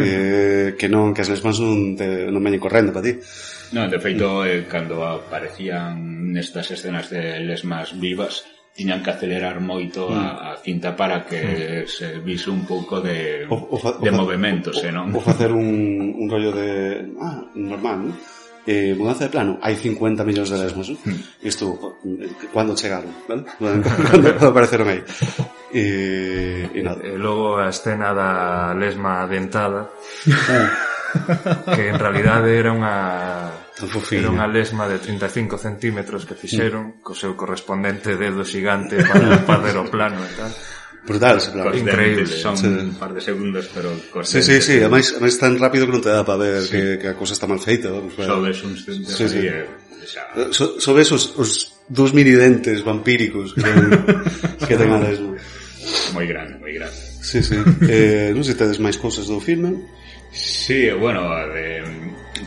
eh, que non, que as lesmas non te, non veñen correndo para ti. Non, de feito, eh, cando aparecían nestas escenas de lesmas vivas, tiñan que acelerar moito mm. a, a cinta para que mm. se vise un pouco de, o, o fa, de o movimentos, o, eh, non? Ou facer un, un rollo de... Ah, normal, non? Eh, mudanza de plano, hai cincuenta millóns de lesmos, ¿no? Mm. Isto, cando chegaron, ¿vale? Cando apareceron aí. E, e nada. E logo a escena da lesma dentada, que en realidade era unha... Era unha lesma de trinta e cinco centímetros que fixeron, mm. co seu correspondente dedo xigante para fazer o plano e tal. Brutal ese plano. Increíble. Son sí. un par de segundos, pero... Sí, sí, sí, además, además tan rápido que non te dá para ver sí. que, que a cosa está mal feita. Pues, bueno. Sobes uns dentes sí, sí. E, xa... so, sobes os, os dos mini dentes vampíricos que ten, que ten a lesma. Moi grande, moi grande. Sí, sí. Eh, non sei se tedes máis cousas do filme. Sí, bueno, de,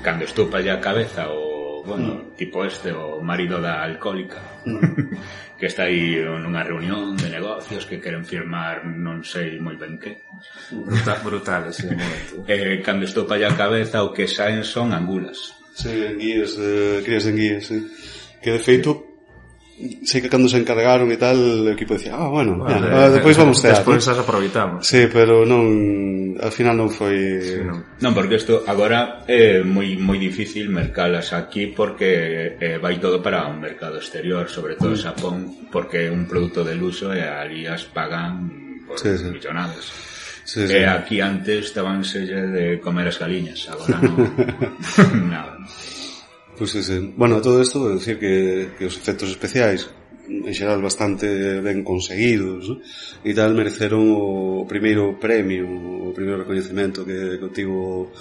cando estupa ya a cabeza o, bueno, Mm. tipo este, o marido da alcohólica, Mm. que está aí nunha reunión de negocios que queren firmar non sei moi ben que. Brutal, brutal ese momento. Eh, cando estou pa a cabeza, o que saen son angulas. Sí, enguías de, crías de enguías, sí. Que de feito, sei que cando se encargaron e tal, o equipo decía, ah, bueno, Bueno, ya, de, depois vamos tear, despois ¿no? as aproveitamos. Sí, pero non, al final non foi... Sí, non. Non, porque isto agora é moi moi difícil mercalas aquí porque eh, vai todo para un mercado exterior, sobre todo Xapón, porque é un produto de luxo e ali as pagan por Sí, sí. millonadas. Sí, sí. E aquí antes estabanselle de comer as galiñas, agora non. Nada. Pues sí, sí. Bueno, todo isto, é dicir que, que os efectos especiais en xeral bastante ben conseguidos, ¿no? E tal, mereceron o primeiro premio, o primeiro recoñecemento que, que obtivo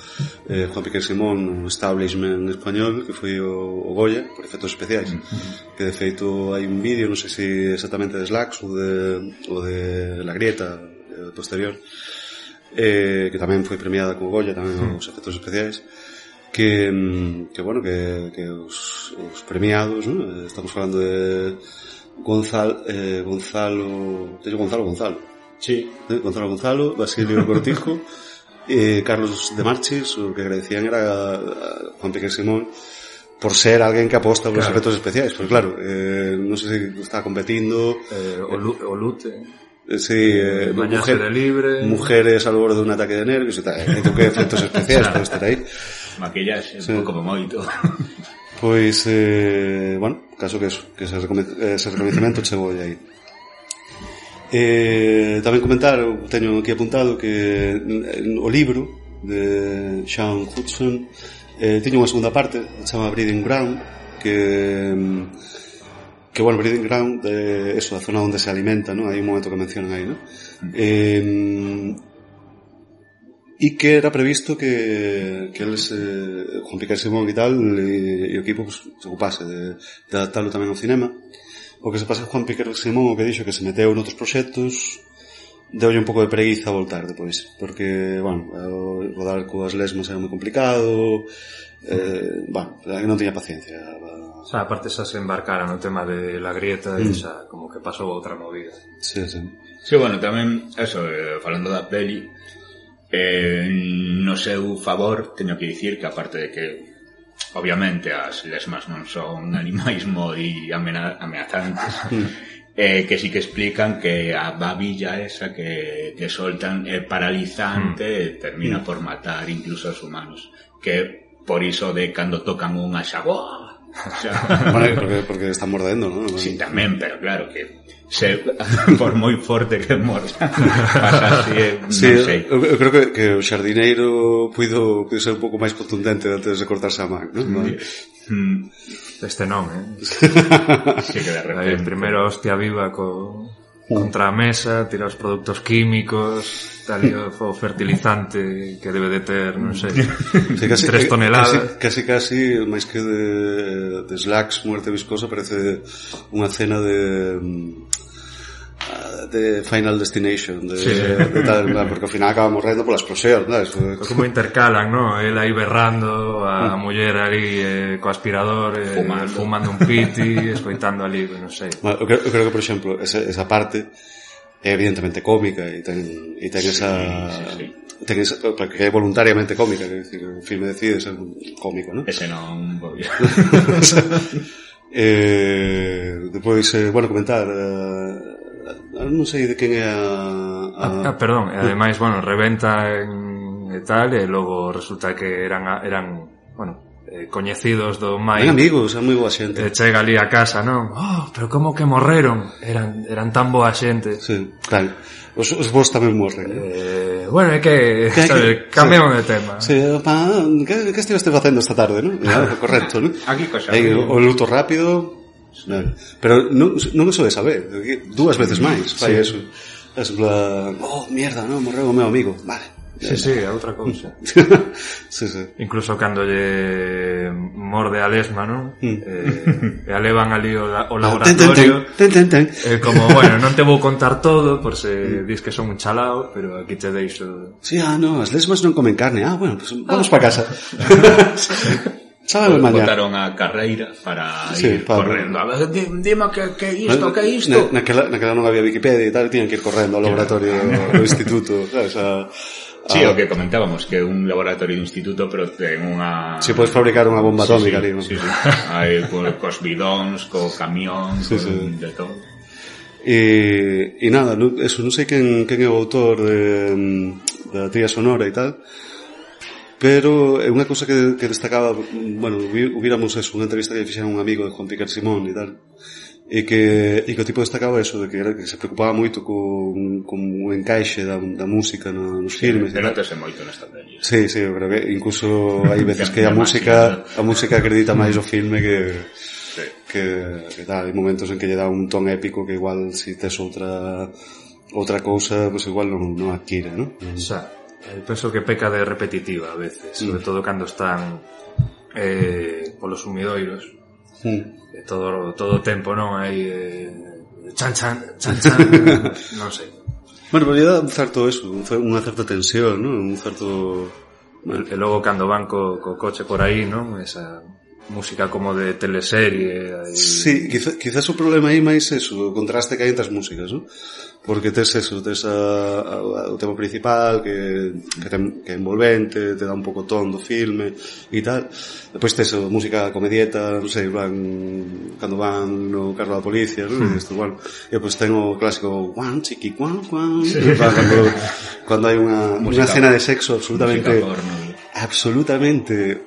eh, Juan Piquer Simón no establishment español, que foi o, o Goya, por efectos especiais. Uh-huh. Que de feito hai un vídeo, non sei se exactamente de Slacks ou de, ou de La Grieta, eh, posterior, eh, que tamén foi premiada co Goya, tamén uh-huh. os efectos especiais. Que, que bueno, que, que os, os premiados, ¿no? Estamos falando de Gonzalo, eh, Gonzalo, teño Gonzalo Gonzalo. Sí. ¿Eh? Gonzalo Gonzalo, Basilio Cortijo, eh, Carlos de Marchis, o que agradecían era a, a Juan Piquer Simón por ser alguén que aposta por claro. Os efectos especiais, porque claro, eh, non sei se está competindo eh, o, lu, o Lute eh, sí, eh, mujer, de libre mujeres al borde dun ataque de nervios e tal, eh, que efectos especiais para estar aí. Maquillaxe, sí. Como moito. Pois, eh, bueno, caso que eso, que ese, ese reconhecimento chegou aí. Eh, tamén comentar, teño aquí apuntado que o libro de Sean Hudson eh, tiña unha segunda parte, se chama Breeding Ground, que que bueno, Breeding Ground é eh, eso, a zona onde se alimenta, ¿no? Hai un momento que mencionan aí, ¿no? Eh, e que era previsto que, que eles, eh, Juan Piquer Simón e tal, e, e o equipo pues, se ocupase de, de adaptarlo tamén ao cinema. O que se pasa Juan Piquer Simón, o que dixo que se meteu noutros proxectos, deulle un pouco de preguiza a voltar depois, porque, bueno, rodar coas lesmas era moi complicado, eh, bueno, non tiña paciencia. O sea, aparte xa se embarcara no tema de La Grieta e mm. xa como que pasou outra movida. Sí, sí. Sí, bueno, tamén, eso, eh, falando da peli, Eh, no seu favor teño que dicir que aparte de que obviamente as lesmas non son animais moi amena- ameazantes eh, que sí que explican que a babilla esa que, que soltan é paralizante mm. e termina mm. por matar incluso aos humanos, que por iso de cando tocan unha xabua o sea, bueno, porque, porque están mordendo, ¿no? Sí, tamén, pero claro que se, por moi forte que morda pasa así, non sí, sei. Eu, eu creo que, que o xardineiro puido, puido ser un pouco máis contundente antes de cortarse a man, ¿no? Mm. Este non, eh? Sí, que de repente Aí, primeiro hostia viva co, contra a mesa, tira os produtos químicos, tal e o fertilizante que debe de ter, non sei, sí, casi, tres toneladas. Casi, casi, casi, máis que de, de Slacks, muerte viscosa, parece unha cena de de Final Destination, de, sí. de, de tal, porque ao final acaba morrendo pola explosión, ¿no? Como intercalan, ¿no? El aí berrando, a muller ali eh, co aspirador, eh, fumando. fumando un piti, escoitando ali, non sei. Bueno, eu, creo, eu creo que, por exemplo, esa, esa parte é evidentemente cómica e ten, e ten sí, esa... Sí, sí. Ten esa, porque é voluntariamente cómica, quer decir, o filme decide ser cómico, ¿no? Ese non voy a... eh, depois, eh, bueno, comentar... Eh, non sei de quen é a... a... Ah, perdón, e ademais, bueno, reventa en, e tal, e logo resulta que eran, eran bueno, eh, coñecidos do máis... Ben amigos, é moi boa xente. E chega ali a casa, non? Oh, pero como que morreron? Eran, eran tan boa xente. Sí, tal. Os, os vos tamén morren. Eh, bueno, é que, que, sabe, que cambiamos sí. de tema. Sí, pa, que, que estiveste facendo esta tarde, non? Ah, correcto, non? Aquí cosa. Aí, o, o luto rápido... No, pero non, non eso de saber, dúas veces máis fai sí. eso. Es plan, oh, mierda, non, morreu o meu amigo. Vale. Sí, sí, é outra cousa. Sí, sí. Incluso cando lle morde a lesma, non? Mm. Eh, e a levan ali o, o laboratorio. Ten, ten, ten, ten. Eh, como, bueno, non te vou contar todo, por se mm. dis que son un chalao, pero aquí te deixo... Sí, ah, no, as lesmas non comen carne. Ah, bueno, pues vamos ah. pa casa. Sábado de mañá. Botaron a carreira para Sí, ir para- correndo. A ver, di- dime que, que isto, que isto. Na, naquela, naquela non había Wikipedia e tal, tiñan que ir correndo ao laboratorio do instituto, sabes? A, Sí, a, o que comentábamos, que é un laboratorio de instituto, pero ten unha... Si podes fabricar unha bomba atómica sí, ali, non? sí, sí. Hai co, cos bidóns, co camión, Sí, con sí. de todo. E, e nada, non, eso, non sei quen, quen é o autor de, da tría sonora e tal, pero é unha cousa que, que destacaba, bueno, hubiéramos eso, unha entrevista que fixera un amigo de Juan Piquer Simón e tal, e que, e que o tipo destacaba eso, de que, era, que se preocupaba moito con, con o encaixe da, da música no, nos filmes e tal. Denótase moito nesta peli. Sí, sí, eu creo que incluso hai veces que a música a música acredita máis o filme que Sí. que, que tal, hai momentos en que lle dá un ton épico que igual si tes outra outra cousa, pues igual non, non adquire, ¿no? Xa, eu penso que peca de repetitiva a veces, sobre todo cando están eh, polos sumidoiros, Mm. e todo todo o tempo, non? Hai eh, chan chan, chan chan, non sei. Bueno, pero lle dá un certo eso, un cer- unha certa tensión, ¿no? Un certo... E, e logo cando van co, co coche por aí, non? Esa música como de teleserie. Aí... Sí, quizá, quizás o problema aí máis eso, o contraste que hai entre as músicas, ¿no? Porque tes eso, tes a, a, o tema principal que, que, ten, que é envolvente, te dá un pouco ton do filme e tal. Depois tes a música comedieta, non sei, van, cando van no carro da policía, ¿no? E isto, bueno, e depois ten o clásico guan, chiqui, guan, guan, sí. Cando, cando hai unha, unha escena de sexo absolutamente absolutamente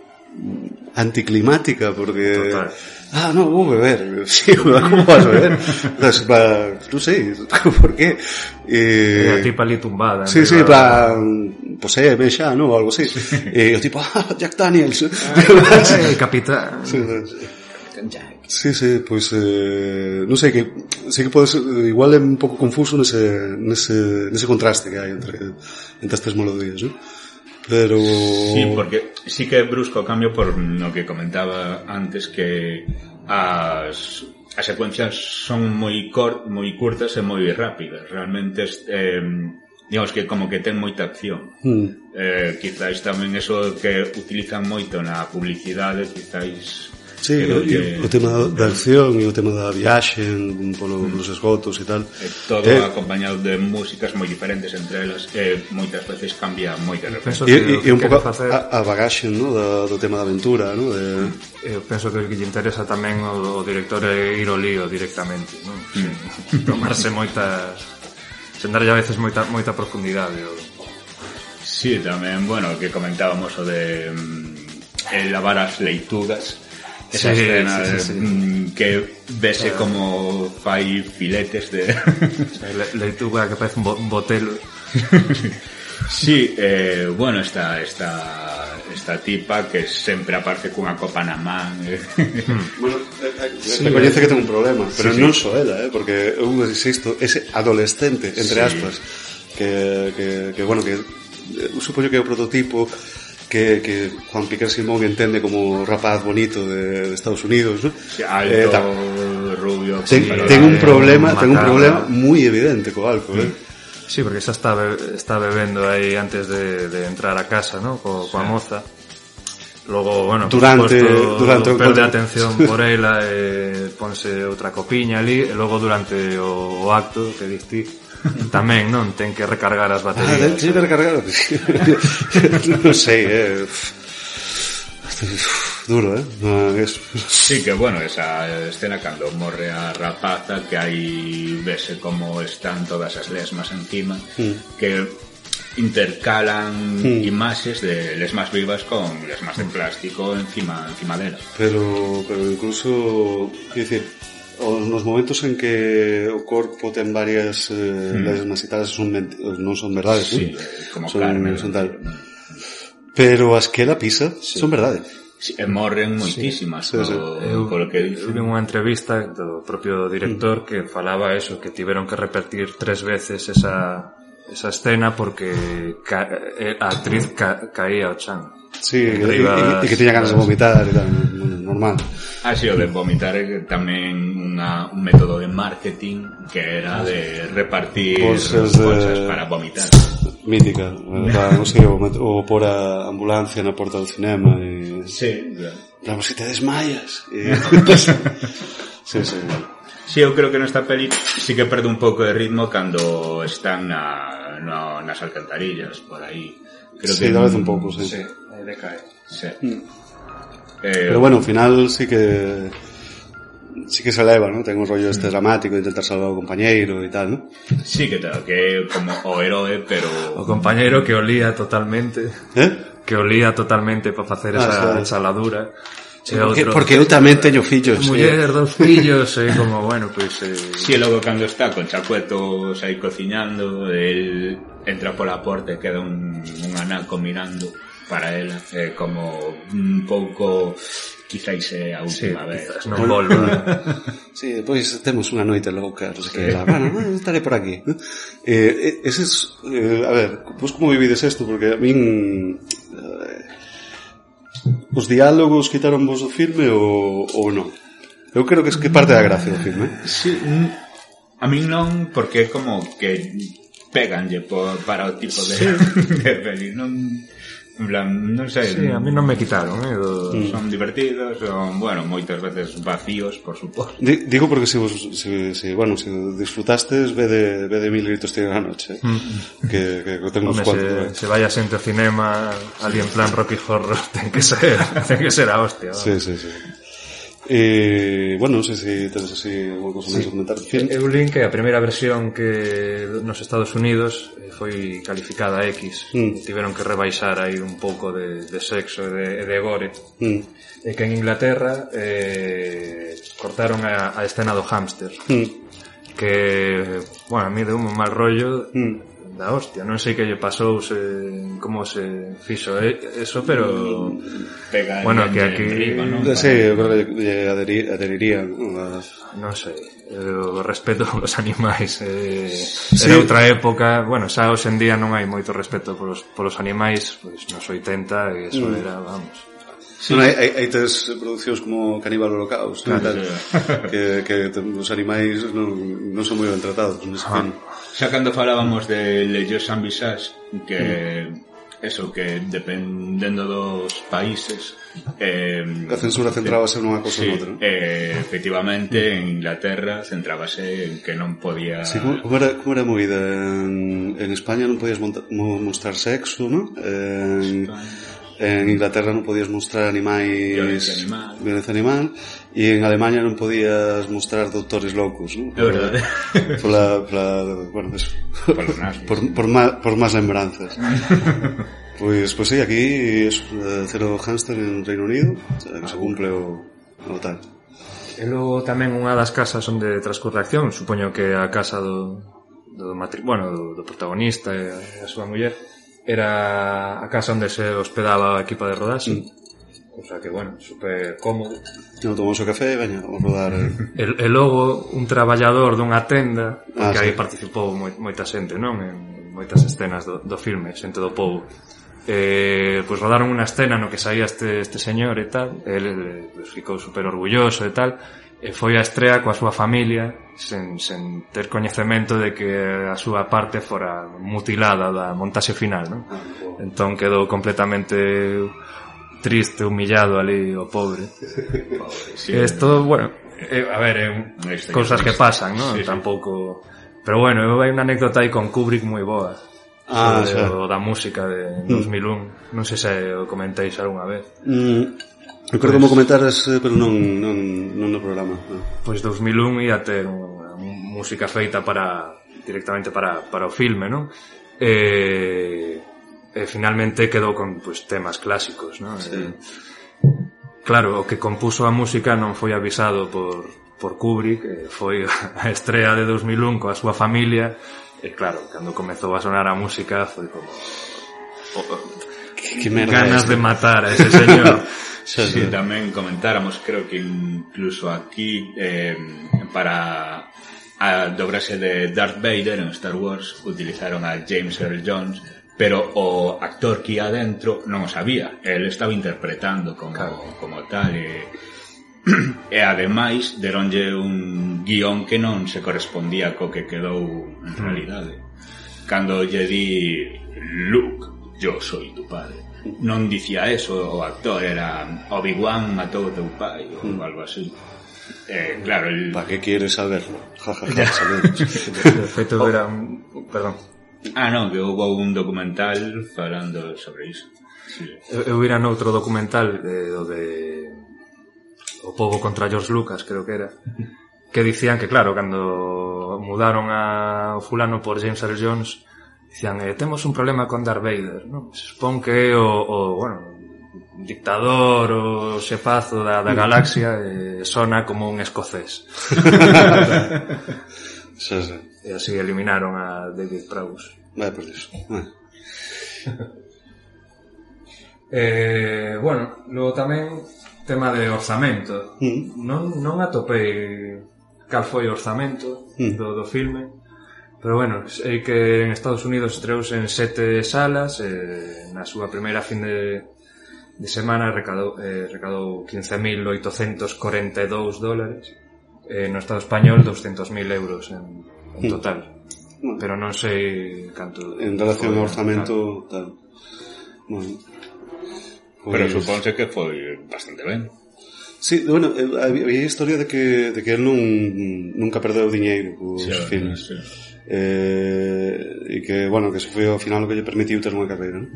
anticlimática, porque Total. ah, no, vou beber. Sí, como vas a beber? Entonces, plan, non sei, por qué? E a Eh, tipa ali tumbada. sí, sí, arriba. plan, pues eh, ven xa, ¿no? O algo así. E o tipo, ah, Jack Daniels. Eh, el capitán. Sí, sí, sí, pois pues, eh, non sei, que sei que pode ser, igual é un pouco confuso nese, nese, nese contraste que hai entre, entre estas melodías, ¿no? Pero... Sí, porque sí que é brusco o cambio por no que comentaba antes, que as, as secuencias son moi cor, moi curtas e moi rápidas. Realmente eh, digamos que como que ten moita acción. Mm. Eh, quizáis tamén eso que utilizan moito na publicidade, quizáis Sí, creo e que- o tema da acción e o tema da viaxe en, polo, polos esgotos e tal. eh, todo Eh, acompañado de músicas moi diferentes entre elas, e moitas veces cambia moito de repente. Penso E, que o e, e que un quere pouco facer, a, a bagaxe, ¿no? Da, do tema da aventura, ¿no? De, eu penso que o que lle interesa tamén o, o director é ir ao lío directamente, non? Sin tomarse moitas, sen darlle a veces moita moita profundidade. O... Sí, tamén, bueno, que comentábamos o de mm, el lavar as leitugas. Esa Sí, escena sí, sí, de, sí. mm, que vese como fai filetes de... Le, leituga que parece un, bo, un botelo. Sí, eh, bueno, esta, esta, esta tipa que sempre aparece cunha copa na man. Eh. bueno, eh, Sí, recoñece eh. que ten un problema, pero Sí, sí. non só ela, eh? Porque eu insisto, ese adolescente, entre Sí. aspas, que, que, que bueno, que eu supoño que é o prototipo que, que Juan Piquer Simón entende como rapaz bonito de, de Estados Unidos, ¿no? Alto, Eh, ta- rubio... ten, con ten un eh, problema, ten un macabro. problema moi evidente co alcohol, eh? Sí, porque xa está, be, está bebendo aí antes de, de entrar a casa, ¿no? Co, coa moza. Logo, bueno, por Durante- suposto, durante o perde encontro. atención por ela e ponse outra copiña ali, e logo durante o, o acto que diste tamén, non? Ten que recargar as Ah, baterías. de, de recargar. non sei, eh. Duro, eh? No, es... Sí, que bueno, esa escena cando morre a rapaza, que hai vese como están todas as lesmas encima, Mm. que intercalan Mm. imaxes de lesmas vivas con lesmas de plástico encima encima dela. Pero, pero incluso, quer dicir, os, nos momentos en que o corpo ten varias eh, Mm. lesmas e tal, son menti- non son verdades, Sí, ¿no? como son, carne. son tal. Pero as que ela pisa son verdade. Sí, e morren moitísimas, Sí, sí. co- Eu, polo que eu vi unha entrevista do propio director que falaba eso, que tiveron que repetir tres veces esa, esa escena porque ca, a actriz ca, caía ao chan. Sí, e, Arriba e, e que tiña ganas de vomitar e tal, normal. así o de vomitar é tamén unha, un método de marketing que era de repartir Bolsas de- bolsas para vomitar. Mítica, eh, non sei, o, met- o por a ambulancia na porta do cinema e... Sí, claro. Bravo, si te desmayas. E... sí, sí. Sí, eu creo que nesta peli sí que perde un pouco de ritmo cando están na, no, nas alcantarillas, por aí. Creo sí, que tal vez un pouco, sí. Sí, aí decae. Sí. Mm. Eh, Pero bueno, ao final sí que sí que se eleva, ¿no? Ten un rollo este dramático de intentar salvar ao compañeiro e tal, ¿no? Sí, que tal, que como o heroe, pero... O compañeiro que olía totalmente, Eh? que olía totalmente para facer Ah, esa claro. ensaladura. Sí, porque, porque eu tamén teño fillos. Muller, dos fillos, e como, bueno, pois... Eh... Sí, e logo cando está con chacuetos aí cociñando, el entra pola porta e queda un, un anaco mirando para ela, eh, como un pouco... Quizáis é a última sí, vez. Quizás non volva. Sí, depois temos unha noite louca, non sei que, la, bueno, estaré por aquí. Eh, eses, eh, a ver, pois como vivides isto? Porque a min... Eh, os diálogos quitaron vos do filme ou, ou non? Eu creo que é que parte da gracia do filme. Sí, a min non, porque é como que péganlle por, para o tipo de, sí. de peli, non... En plan, non sei. Sí, a mí non me quitaron, eh. Do... Son divertidos, son, bueno, moitas veces vacíos, por suposto. Digo porque se vos, se, se, bueno, se disfrutastes, ve de, ve de Mil gritos tiene la noche, eh? mm. que, que, que tengo uns cuantos. Se, se vaya xente ao cinema, ali en plan Rocky Horror, ten que ser, ten que ser a hostia. ¿no? Sí, sí, sí. Eh, bueno, non sei se tens así alguna cosa máis a comentar. Eu lin que a primeira versión que nos Estados Unidos foi calificada X, mm. tiveron que rebaixar aí un pouco de, de sexo e de, de gore, mm. e que en Inglaterra eh, cortaron a, a escena do hámster, mm. que, bueno, a mí deu un mal rollo mm. da hostia, non sei que lle pasou, se, como se fixo eso, pero pega bueno, que aquí riba, ¿no? Sí, eu creo que aderir, aderirían, ¿no? Non sei, o respeto aos animais eh, sí. Era outra época, bueno, xa hoxe en día non hai moito respeto polos, polos animais, pois nos oitenta e eso mm. era, vamos. Sí. Bueno, hai, hai, hai tes producións como Caníbal Holocaust, claro, tal, sí. que, que os animais non, non son moi ben tratados nese ah. film. Xa cando falábamos de Les Sans Visage, que mm. eso, que dependendo dos países eh, a censura centrábase nunha cosa sí, ou outra, ¿no? eh, efectivamente en Inglaterra centrábase en que non podía... Sí, como, como, era, como era movida en, en España non podías monta, mo, mostrar sexo, ¿no? En, en Inglaterra non podías mostrar animais, violencia animal, violencia animal, e en Alemania non podías mostrar doutores loucos, ¿no? É verdade. Por la, por la, bueno, eso. Por los nazis. Por, por, má, por más lembranzas. Pois, pois sí, aquí es Cero Hamster en Reino Unido, o sea, que se cumple o, o tal. E logo tamén unha das casas onde transcurre a acción, supoño que a casa do, do matri... bueno, do, do protagonista e a súa muller, era a casa onde se hospedaba a equipa de rodaxe. Mm. O sea que, bueno, super cómodo. Non tomamos o café, veña, vamos rodar. E, e logo, un traballador dunha tenda, porque ah, aí sí. participou moi, moita xente, non? En moitas escenas do, do filme, xente do povo. Eh, pois rodaron unha escena no que saía este, este señor e tal, ele pues, ficou super orgulloso e tal, e foi a estrea coa súa familia, sen, sen ter coñecemento de que a súa parte fora mutilada da montaxe final, non? Ah, wow. Entón quedou completamente... triste, humillado ali, o pobre. Pobre, sí. Esto, bueno, eh, a ver, eh, cousas que pasan, ¿no? Sí, tampouco... Sí. Pero bueno, hai unha anécdota aí con Kubrick moi boa. Ah, sobre xa. o da música de dos mil un. Mm. Non sei se o comentéis algunha vez. Mm, eu creo como comentares, pero non, non, non no programa. No. Pois dos mil un ia ter unha música feita para directamente para, para o filme, ¿no? Eh... E finalmente quedou con pues, temas clásicos, ¿no? Sí. Eh, claro, o que compuso a música non foi avisado por, por Kubrick, eh, foi a estrea de dos mil un coa súa familia, e claro, cando comezou a sonar a música foi como oh, oh, que, que ganas de matar a ese señor. Sí, sí, tamén comentáramos, creo que incluso aquí eh, para a dobrase de Darth Vader en Star Wars utilizaron a James Earl Jones, pero o actor que ia dentro non o sabía, el estaba interpretando como, claro. como tal e, e ademais deronlle un guión que non se correspondía co que quedou en realidade. Cando lle di Luke, yo soy tu padre, non dicía eso o actor, era Obi-Wan matou o teu pai ou mm. algo así. Eh, claro, el... ¿Para qué quieres saberlo? Ja, ja, ja, sabemos. De feito era un... Perdón. Ah, non, que houve un documental falando sobre iso. Sí. Eu, eu vira noutro documental eh, do de O pobo contra George Lucas, creo que era, que dicían que, claro, cando mudaron a fulano por James Earl Jones, dicían, eh, temos un problema con Darth Vader, ¿no? Se supón que o, o bueno, dictador, o xefazo da, da galaxia, eh, sona como un escocés. Sí, sí. E así eliminaron a David Prowse. Vaya por iso. Ah. eh, bueno, logo tamén tema de orzamento. Mm. Non, non atopei cal foi o orzamento mm. do, do filme, pero bueno, sei que en Estados Unidos estreouse en sete salas, eh, na súa primeira fin de, de semana recadou, eh, recadou quince mil oitocentos corenta e dous dólares, eh, no Estado español doscientos mil euros en, en total. Mm. Pero non sei canto... En relación ao orzamento, tal. Bueno. Pero pues... supónse que foi bastante ben. Sí, bueno, había historia de que, de que él non, nunca perdeu diñeiro cos sí, filmes. Sí. Eh, e que, bueno, que eso foi ao final o que lle permitiu ter unha carreira, ¿no?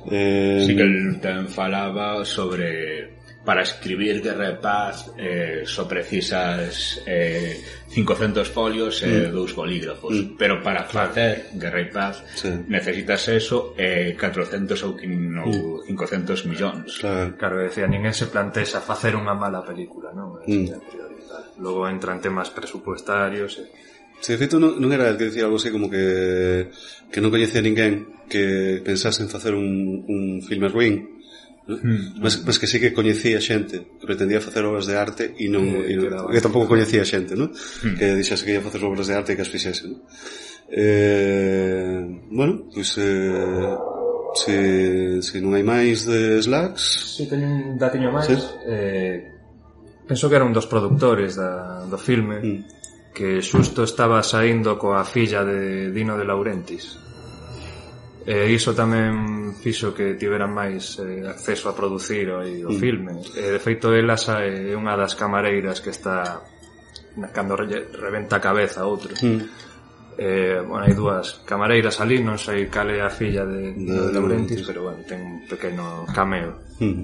Eh, sí que el tamén falaba sobre... Para escribir Guerra e Paz eh, só precisas eh, cincocentos folios e eh, mm. dous bolígrafos, mm. pero para facer Guerra e Paz sí. necesitas eso e eh, catrocentos ou mm. cincocentos millóns. Claro, claro, decía, ninguén se plantexa facer unha mala película, non? Mm. Logo entran temas presupuestarios e... Si, de feito, non, non era el que dicía algo así como que que non coñecía ninguén que pensase en facer un, un filme ruín. Mm. Mas, mas que sí que coñecía xente que pretendía facer obras de arte e non, eh, e non que tampouco coñecía xente, ¿no? Mm. Que dixase que ia facer obras de arte e que as fixese, ¿no? Eh, bueno, pois pues, eh, se, se non hai máis de Slacks. Si, teño un datiño máis. ¿Sí? Eh, penso que era un dos produtores da, do filme mm. que xusto estaba saindo coa filla de Dino De Laurentiis. E iso tamén fixo que tiveran máis eh, acceso a producir o, o mm. filme. E, de feito, ela é unha das camareiras que está cando re, reventa a cabeza a outro. Mm. Eh, bueno, hai dúas camareiras ali, non sei cal é a filla de, de, de Laurentiis, pero bueno, ten un pequeno cameo. Mm.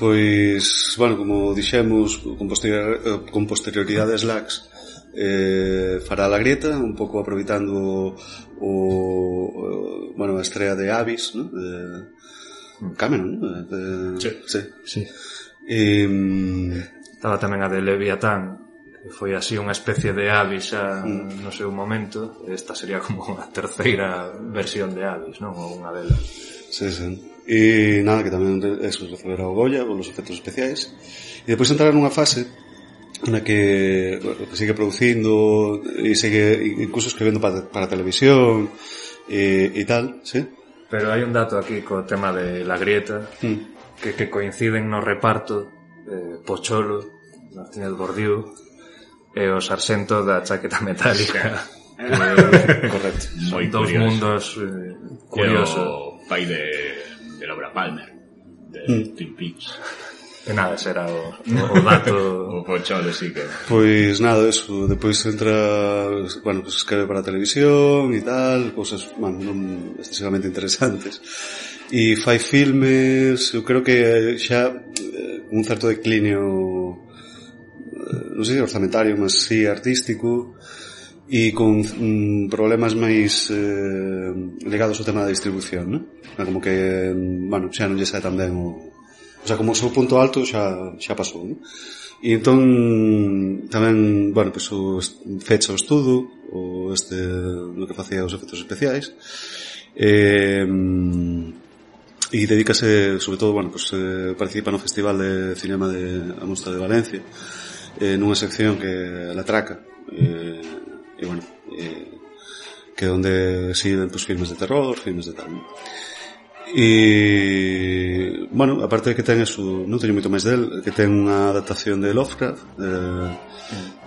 Pois, bueno, como dixemos, con, posterior, con posterioridade Slacks, eh, fará La Grieta, un pouco aproveitando o, o bueno, a estrela de Abyss, ¿no? De Cameron, ¿no? De, sí. Sí. Sí. E, estaba tamén a de Leviatán, que foi así unha especie de Abyss a, mm. no seu momento. Esta sería como a terceira versión de Abyss, non? Ou unha delas. Sí, sí. E nada, que tamén eso receberá o Goya polos efectos especiais. E depois entrar nunha fase na que, bueno, que sigue producindo e sigue incluso escribendo para, para televisión e, e tal, sí. Pero hai un dato aquí co tema de La Grieta, mm. que, que coinciden no reparto eh, Pocholo, Martínez Bordiú e o sarxento da chaqueta metálica. Que, correcto. Son dous mundos eh, curiosos. O pai de, de Laura Palmer, de mm. Twin Peaks. Que nada, será o, o dato... o Pocholo, sí que... Pois nada, eso, depois entra, bueno, pues escreve para a televisión e tal, cousas, bueno, non excesivamente interesantes. E fai filmes, eu creo que xa eh, un certo declinio, eh, non sei se orzamentario, mas sí artístico, e con mm, problemas máis eh, ligados ao tema da distribución, ¿no? Como que, bueno, xa non lle sae tan ben o... O sea, como o seu punto alto xa, xa pasou, ¿no? E entón tamén, bueno, pues o fecha o estudo o este, no que facía os efectos especiais e, e dedícase sobre todo, bueno, pues eh, participa no Festival de Cinema de a Mostra de Valencia, eh, nunha sección que la Traca, eh, e bueno, eh, que onde siguen pues filmes de terror, filmes de tal, ¿no? E, bueno, aparte de que ten eso, non teño moito máis del, que ten unha adaptación de Lovecraft, eh,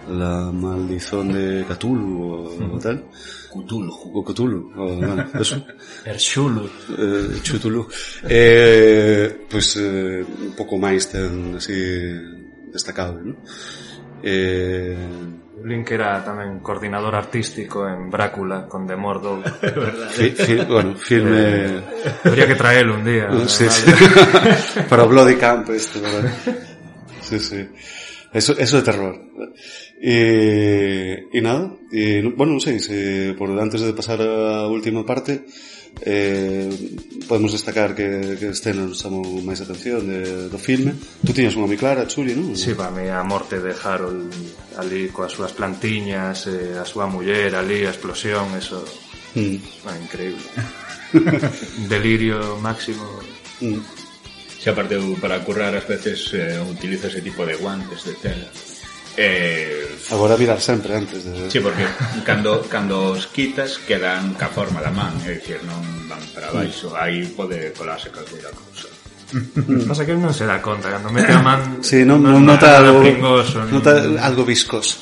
La maldición de Cthulhu o, o tal. Cthulhu. O Cthulhu, o, bueno, eso. Erxulu. Eh, Chutulu. Eh, pues eh, un pouco máis ten así destacado, ¿no? Eh... Link era tamén coordinador artístico en Brácula con Demordo. Fi, fi, bueno, filme... Eh, habría que traerlo un día. Sí, sí. Para Bloody Camp este, ¿verdad? Sí, sí. Eso, eso de terror. Y, y nada, y, bueno, non sei, se por antes de pasar a última parte, eh, podemos destacar que, que escenas nos chamou máis atención de, do filme. Tú tiñas unha moi clara, Chuli, non? Sí, para mí a morte de Harold ali coas súas plantiñas, eh, a súa muller ali, a explosión, eso mm. é increíble. Delirio máximo. Mm. Se aparte para currar ás veces eh, utilizo ese tipo de guantes de tela. Eh, Agora virar sempre antes de... Sí, porque cando, cando os quitas quedan ca forma da man, é dicir, non van para baixo, aí pode colarse calquera cousa. Pasa que non se dá conta, cando mete a man sí, non, non, non nota algo pringoso, nota ni... algo viscoso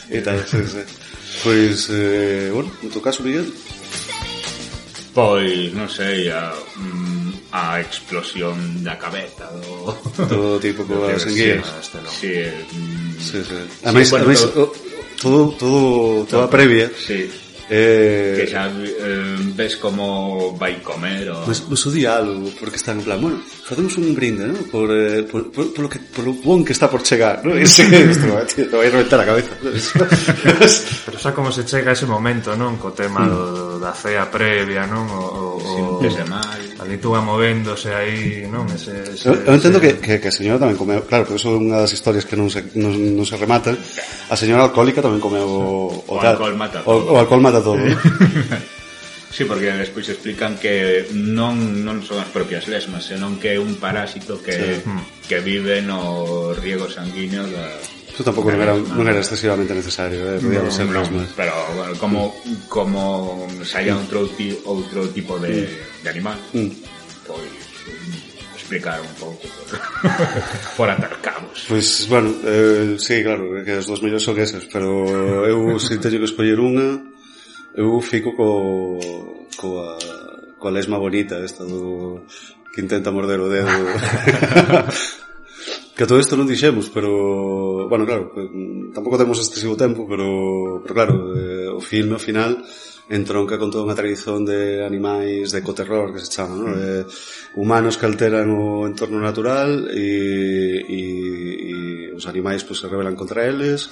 e tal, sí, sí. Pois, eh, bueno, no teu caso, Miguel? Pois, non sei, a, a explosión da cabeza do... Do tipo que vas en guías. Sí, sí, sí. Ademais, sí, bueno, todo, todo, todo, toda previa. Sí. Eh, que xa eh, ves como vai comer o... Pues, pues o diálogo, porque están en plan, bueno, facemos un brinde, ¿no? Por, eh, por, por, por, lo que, por lo bon que está por chegar, ¿no? E se, isto, te vai a reventar a cabeza. Pero xa como se chega ese momento, non? Co tema mm. do, da cea previa, non? O, o, Sin mal. Ali tú va movéndose aí, non? Ese, ese, eu, eu entendo ese... que, que, que a señora tamén comeu, claro, porque eso é unha das historias que non se, non, non se rematan. A señora alcohólica tamén comeu o, o, o tal. alcohol mata todo. O, o alcohol mata todo. Sí, porque despois explican que non non son as propias lesmas, senón que é un parásito que, sí. que vive no riego sanguíneo da... Eso tampouco non era, non era excesivamente necesario, eh? Podíamos ser no, lesmas. Pero bueno, como, como saía outro, outro tipo de, de animal, mm. pois explicar un pouco por, por atar cabos. Pois, bueno, eh, sí, claro, que as dos mellores son esas, pero eu se teño que escoller unha, eu fico co, coa, coa lesma bonita esta do que intenta morder o dedo. Que todo isto non dixemos, pero bueno, claro, tampouco temos excesivo tempo, pero, pero claro, eh, o filme ao final entronca con toda unha tradición de animais de ecoterror que se chama, ¿no? Eh, humanos que alteran o entorno natural e, e, e os animais pues, se rebelan contra eles,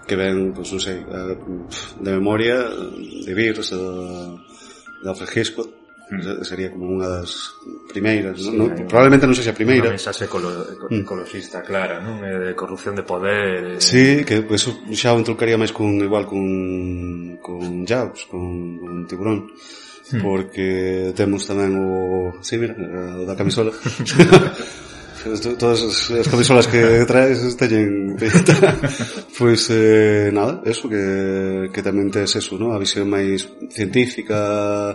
que ven, pues, non sei, de memoria de Virus, de Alfred Hitchcock. Sería como unha das primeiras, sí, ¿no? No, probablemente non sexa a primeira. Unha mensaxe ecolo, ecologista clara, non? De corrupción de poder. Eh... Sí, que pues, eso xa o entroncaría máis con igual con con Jaws, con un tiburón. Hmm. Porque temos tamén o, sí, mira, o da camisola. Todas as camisolas que traes teñen pois eh, nada, eso que, que tamén tes eso, ¿no? A visión máis científica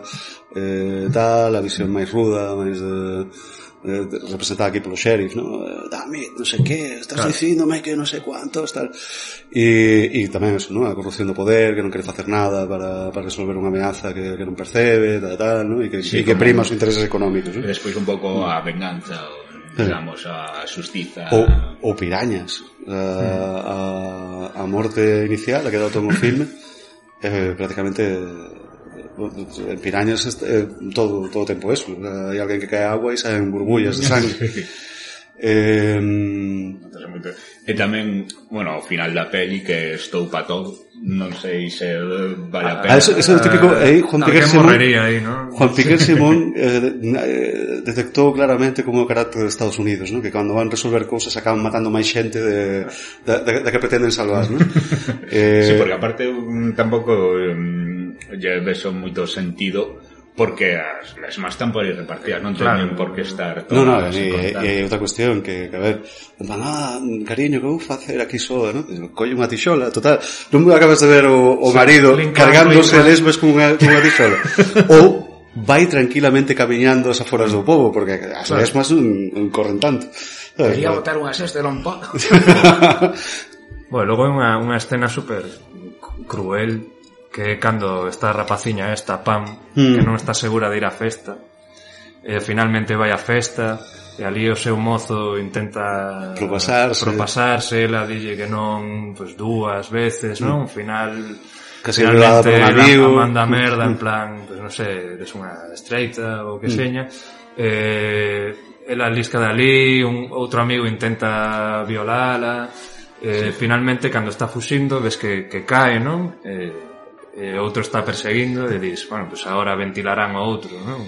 eh, tal, a visión máis ruda, máis de, de, de representada aquí polo sheriff, ¿no? Dame, non sei que, estás claro. Dicíndome que non sei cuántos, tal. E, e tamén eso, ¿no? A corrupción do poder, que non quere facer nada para, para resolver unha ameaza que, que non percebe, tal, tal, ¿no? E que, sí, e que prima os intereses económicos, ¿no? E despois un pouco a venganza, o digamos, a xustiza ou, ou pirañas a, a, a morte inicial a que dá todo o filme eh, prácticamente en pirañas eh, todo todo o tempo eso, hai alguén que cae agua e saen burbullas de sangue. eh, e tamén, bueno, ao final da peli que estou pa todo, non sei se vale a pena. Ah, eso, eso é o típico, aí Juan Piquer Simón, ahí, ¿no? Juan Piquer Simón eh, detectou claramente como o carácter de Estados Unidos, ¿no? Que cando van resolver cousas acaban matando máis xente de, de, de, de que pretenden salvar, ¿no? eh, sí, porque aparte tampouco um, lle ves moito sentido, porque as lesmas están por aí repartidas, non teñen claro. Por que estar non, non, e hai outra cuestión que, que a ver, van, ah, cariño, que vou facer aquí soa, non? Colle unha tixola, total, non me acabas de ver o, o marido cargándose lesmas con unha, con unha tixola ou vai tranquilamente camiñando as aforas do pobo, porque as claro. Lesmas non, non corren tanto. Quería botar unha cesta e non podo. Bueno, logo é unha, unha escena super cruel, que é cando está a rapaciña esta, Pam, mm. que non está segura de ir á festa, e finalmente vai á festa, e ali o seu mozo intenta propasarse, propasarse ela dille que non, pues dúas veces, mm. non? Final, casi finalmente ela manda merda en plan, pues non sei, eres unha estreita ou que mm. seña, eh... ela lisca dali, un outro amigo intenta violala, eh, sí. Finalmente cando está fuxindo ves que, que cae, non? Eh, e outro está perseguindo e dis, bueno, pues agora ventilarán o outro, non?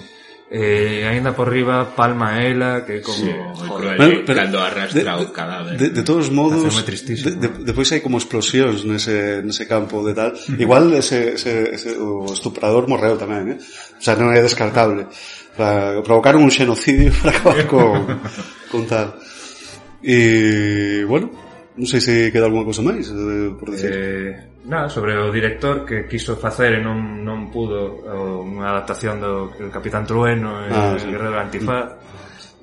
E eh, ainda por riba palma ela, que como sí, joder, bueno, pero, cando arrastra o cadáver. De, de todos modos, de, de, depois hai como explosións nese, nese campo de tal. Igual ese, ese, ese, o estuprador morreu tamén, eh? O sea, non é descartable. Para provocar un xenocidio para acabar con, con tal. E, bueno, non sei se queda alguna cosa máis eh, por decir. Eh, nada, sobre o director que quiso facer e non, non pudo unha adaptación do el Capitán Trueno e ah, sí. El Guerrero Antifaz.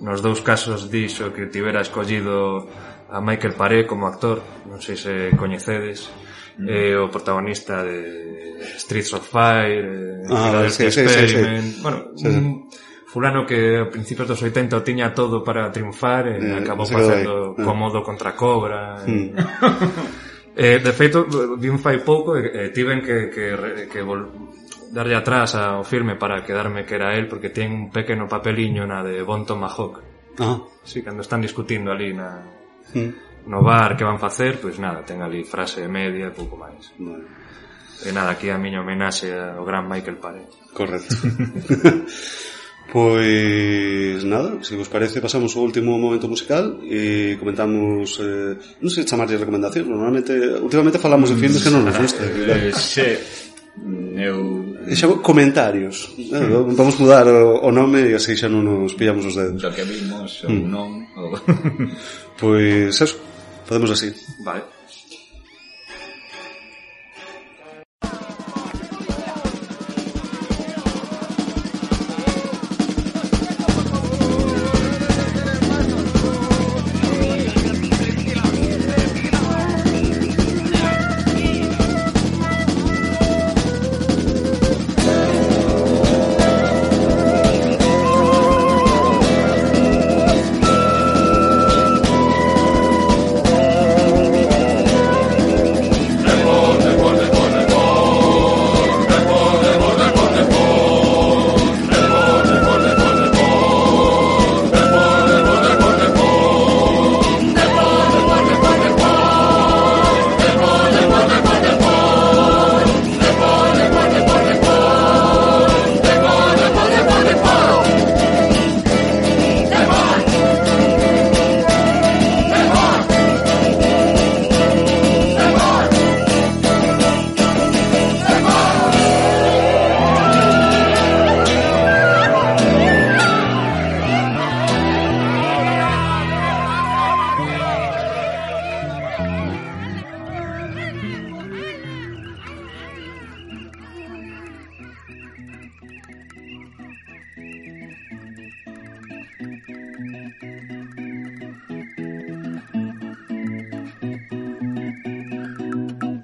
Nos dous casos dixo que tivera escollido a Michael Paré como actor, non sei se coñecedes. Mm. Eh, o protagonista de Streets of Fire, eh, ah, sí, sí, Experiment, sí, sí. bueno, sí, un fulano que a principios dos oitenta o tiña todo para triunfar e eh, acabou facendo eh. Cómodo contra Cobra. Mm. eh, de feito, vi un fai pouco e eh, tiven que, que, que vol darlle atrás ao filme para quedarme que era él, porque ten un pequeno papeliño na de Bon Tomahawk. Ah. Sí, cando están discutindo ali na... Mm. no bar que van facer, pois nada, ten ali frase media e pouco máis. Vale. E nada, aquí a miña homenaxe ao gran Michael Paré. Correcto. Pois nada, se vos parece pasamos ao último momento musical e comentamos, eh, non sei chamarlle recomendacións, normalmente últimamente falamos de filmes que non nos gusta. Eh, sí. Eu... Xa, comentarios. Eh, vamos mudar o, o nome e así xa non nos pillamos os dedos. O que vimos ou mm. non. Ou... Pois eso, podemos así. Vale.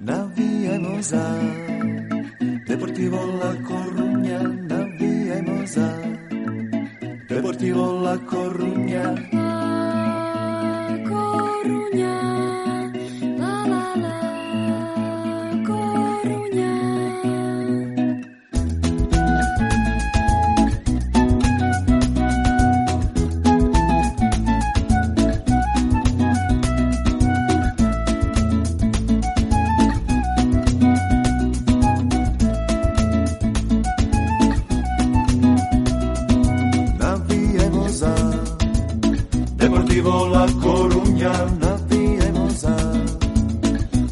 Naviemos a Deportivo La Coruña, naviemos a Deportivo La Coruña. La Coruña, la la la Coruña. Deportivo La Coruña, naviemos a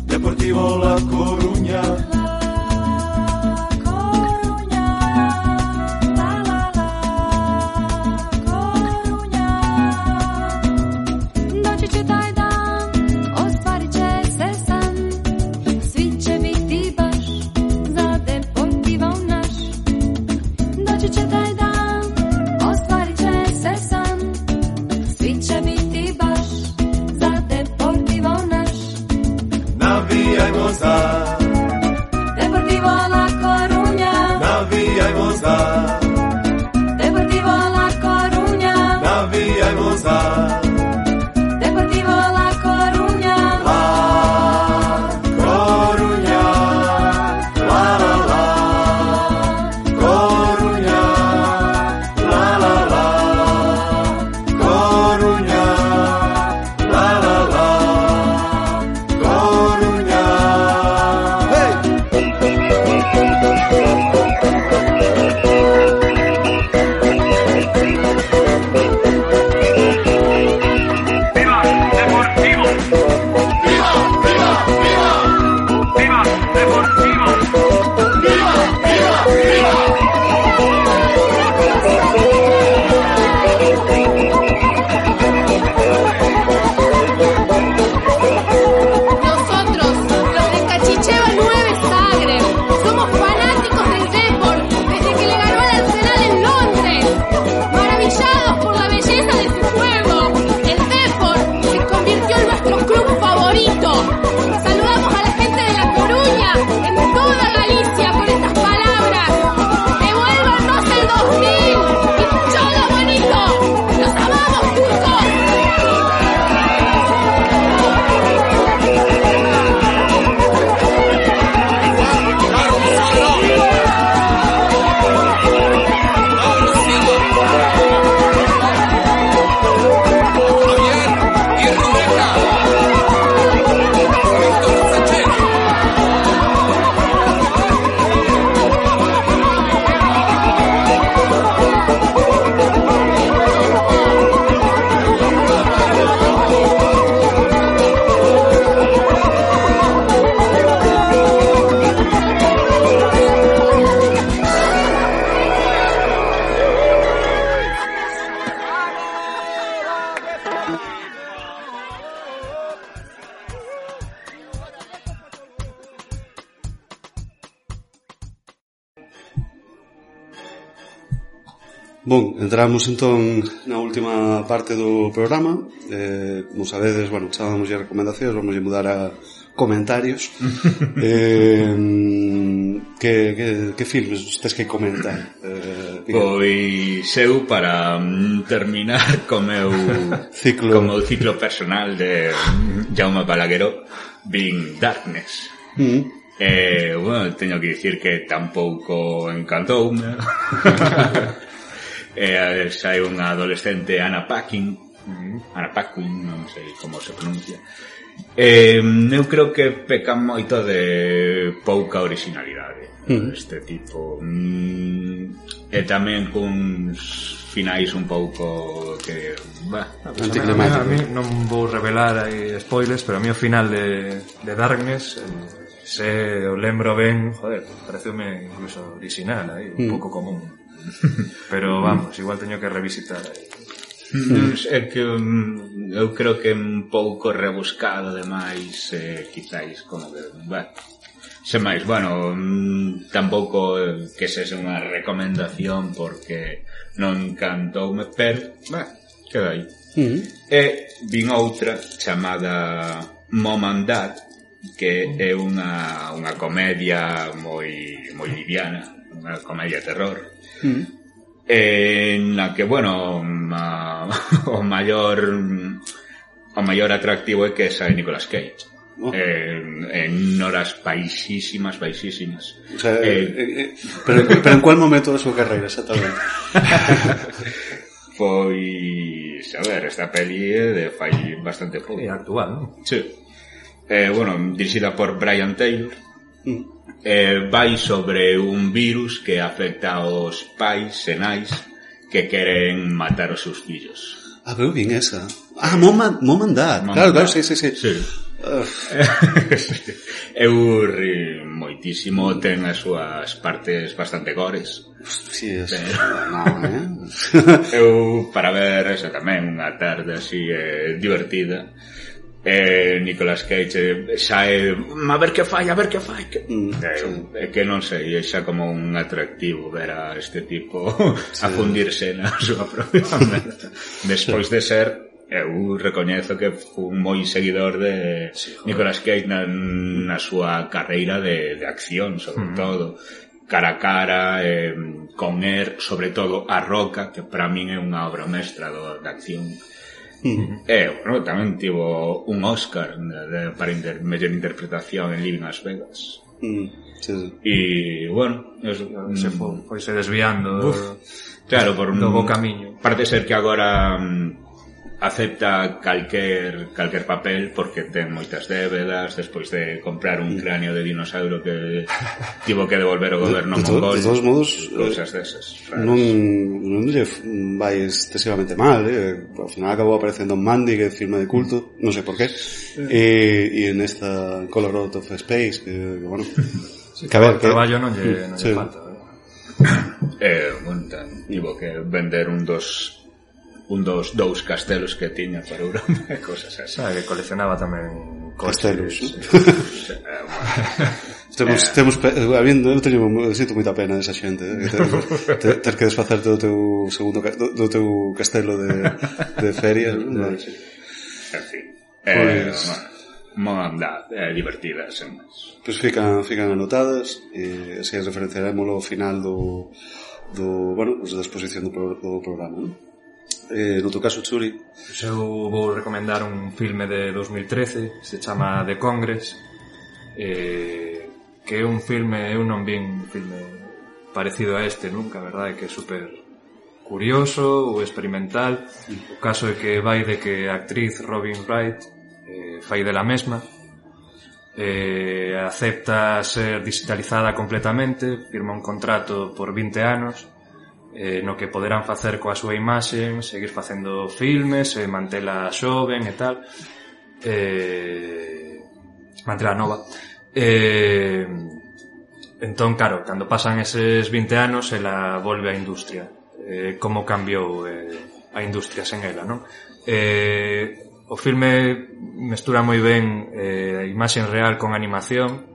Deportivo La Coruña. La Coruña, la la la Coruña. Doći će taj dan, ostvarit će se san, svi će biti baš za Deportivo naš. Doći će taj dan, ostvarit će se san, svi će biti baš za Deportivo naš. vía e gozar, Deportivo La Coruña, na vía e gozar, Deportivo La Coruña, na vía e gozar. Deportivo La Coruña, La Coruña, la la la, Coruña, la la la, Coruña, la la la, Coruña. Hey! ¡Viva Deportivo! ¡Viva, viva, viva! ¡Viva Deportivo! ¡Viva, viva, viva! Nosotros, los de Cachicheva nueve Zagreb, somos fanáticos del Depor desde que le ganó al Arsenal en Londres. Maravillados por la belleza de su juego, el Depor se convirtió en nuestro club favorito. Saludamos a la gente de La Coruña, en toda Galicia, con estas palabras. ¡Devuélvanos el dos mil! ¡Y todo bonito! ¡Los amamos, turcos! Bon, entramos entón na última parte do programa. eh, Como sabedes, bueno, chábamos ya recomendacións, vamos a mudar a comentarios. eh, que, que, que filmes tes que comentar? Eh, Pois eu para mm, terminar co meu Ciclo. co meu ciclo personal de mm, Jaume Balagueró, vin Darkness. mm, Eh, bueno, teño que dicir que tampouco encantoume. eh, sai unha adolescente Anna Paquin, Anna Paquin, non sei como se pronuncia. Eh, eu creo que pecan moito de pouca originalidade Mm. este tipo. Mm, e tamén cuns finais un pouco que... Bah, A Anticlimático. mí non vou revelar aí spoilers, pero a mí o final de, de Darkness, eh, se o lembro ben, joder, pareceume incluso original aí, un Mm. pouco común. Pero vamos, igual teño que revisitar aí. Mm. É que mm, eu creo que é un pouco rebuscado demais, eh, quizáis como que, bah, sen máis, bueno, mm, tampouco eh, que sexa unha recomendación porque non cantoume, pero, bah, queda aí. mm, E vin outra chamada Mom and Dad, que é unha, unha comedia moi, moi liviana, unha comedia terror, mm. en la que, bueno, ma, o maior o maior atractivo é que sae Nicolas Cage. Oh. En, en horas baixísimas, baixísimas. O sea, Eh, eh, eh, pero, pero en cuál momento da súa carreira, exactamente? Pois, a ver, esta peli é de fai bastante pouco. É actual, non? Sí. Eh, bueno, dirixida por Brian Taylor. Mm. Eh, vai sobre un virus que afecta aos pais e nais que queren matar os seus fillos. Ah, pero vin esa. Ah, Mom and, Mom and Dad. Mom Claro, and claro, Dad. sí, sí, sí. Sí. Uf, Eu ri moitísimo, ten as súas partes bastante gores. sí, es... Pero- No, eh? Eu, para ver esa tamén, unha tarde así eh, divertida, eh, Nicolas Cage eh, sae a ver que fai, a ver que fai que... Mm, eh, é que non sei, é xa como un atractivo ver a este tipo a fundirse na súa propia merda despois de ser eu recoñezo que fui moi seguidor de sí, Nicolas Cage na, na súa carreira de, de acción, sobre mm. todo cara a cara, eh, con Air, sobre todo A Roca, que para min é unha obra mestra do, de acción. Mm. E, bueno, tamén tivo un Oscar de, de, para inter, mellor interpretación en Living Las Vegas. Mm. Sí, sí. E, bueno, es, se foi, foi se desviando uf, claro, por un bo camiño. Parece ser que agora um, acepta calquer calquer papel porque ten moitas débedas despois de comprar un cráneo de dinosaurio que tivo que devolver o goberno de, de mongol. De todos modos, cousas desas. Non, non lle vai excesivamente mal, eh? Ao final acabou aparecendo en Mandy, que é filme de culto, non sei por qué, e, e en esta Color Out of Space, que, que bueno, sí, que a ver, que traballo non lle, non lle sí. falta. Eh, bueno, tivo que vender un dos un dos dous castelos que tiña para Europa e cosas así. Sabe que coleccionaba tamén castelos, sí. Sí. eh, bueno. Temos, eh. temos, habiendo, eu teño, sinto moita pena esa xente, eh, que ter, ter que desfacerte do teu segundo, do, do teu castelo de, de ferias, ¿no? Sí. En fin, eh, pues, bueno, anda, eh, divertidas, sen máis. Pois pues fican, fican anotadas, e así as referenciaremos ao final do, do, bueno, pues da exposición do, pro, do programa, ¿no? Eh, no teu caso, Churi? Pues eu vou recomendar un filme de dos mil trece, se chama The Congress, eh, que é un filme, eu non vi un filme parecido a este nunca, a verdade, que é super curioso ou experimental. O caso é que vai de que a actriz Robin Wright eh, fai dela mesma, eh, acepta ser digitalizada completamente, firma un contrato por vinte anos, eh, no que poderán facer coa súa imaxe, seguir facendo filmes, e mantela xoven e tal, eh, mantela nova. Eh, entón, claro, cando pasan eses vinte anos, ela volve á industria. Eh, como cambiou eh, a industria sen ela, non? Eh, o filme mestura moi ben eh, a imaxe real con animación.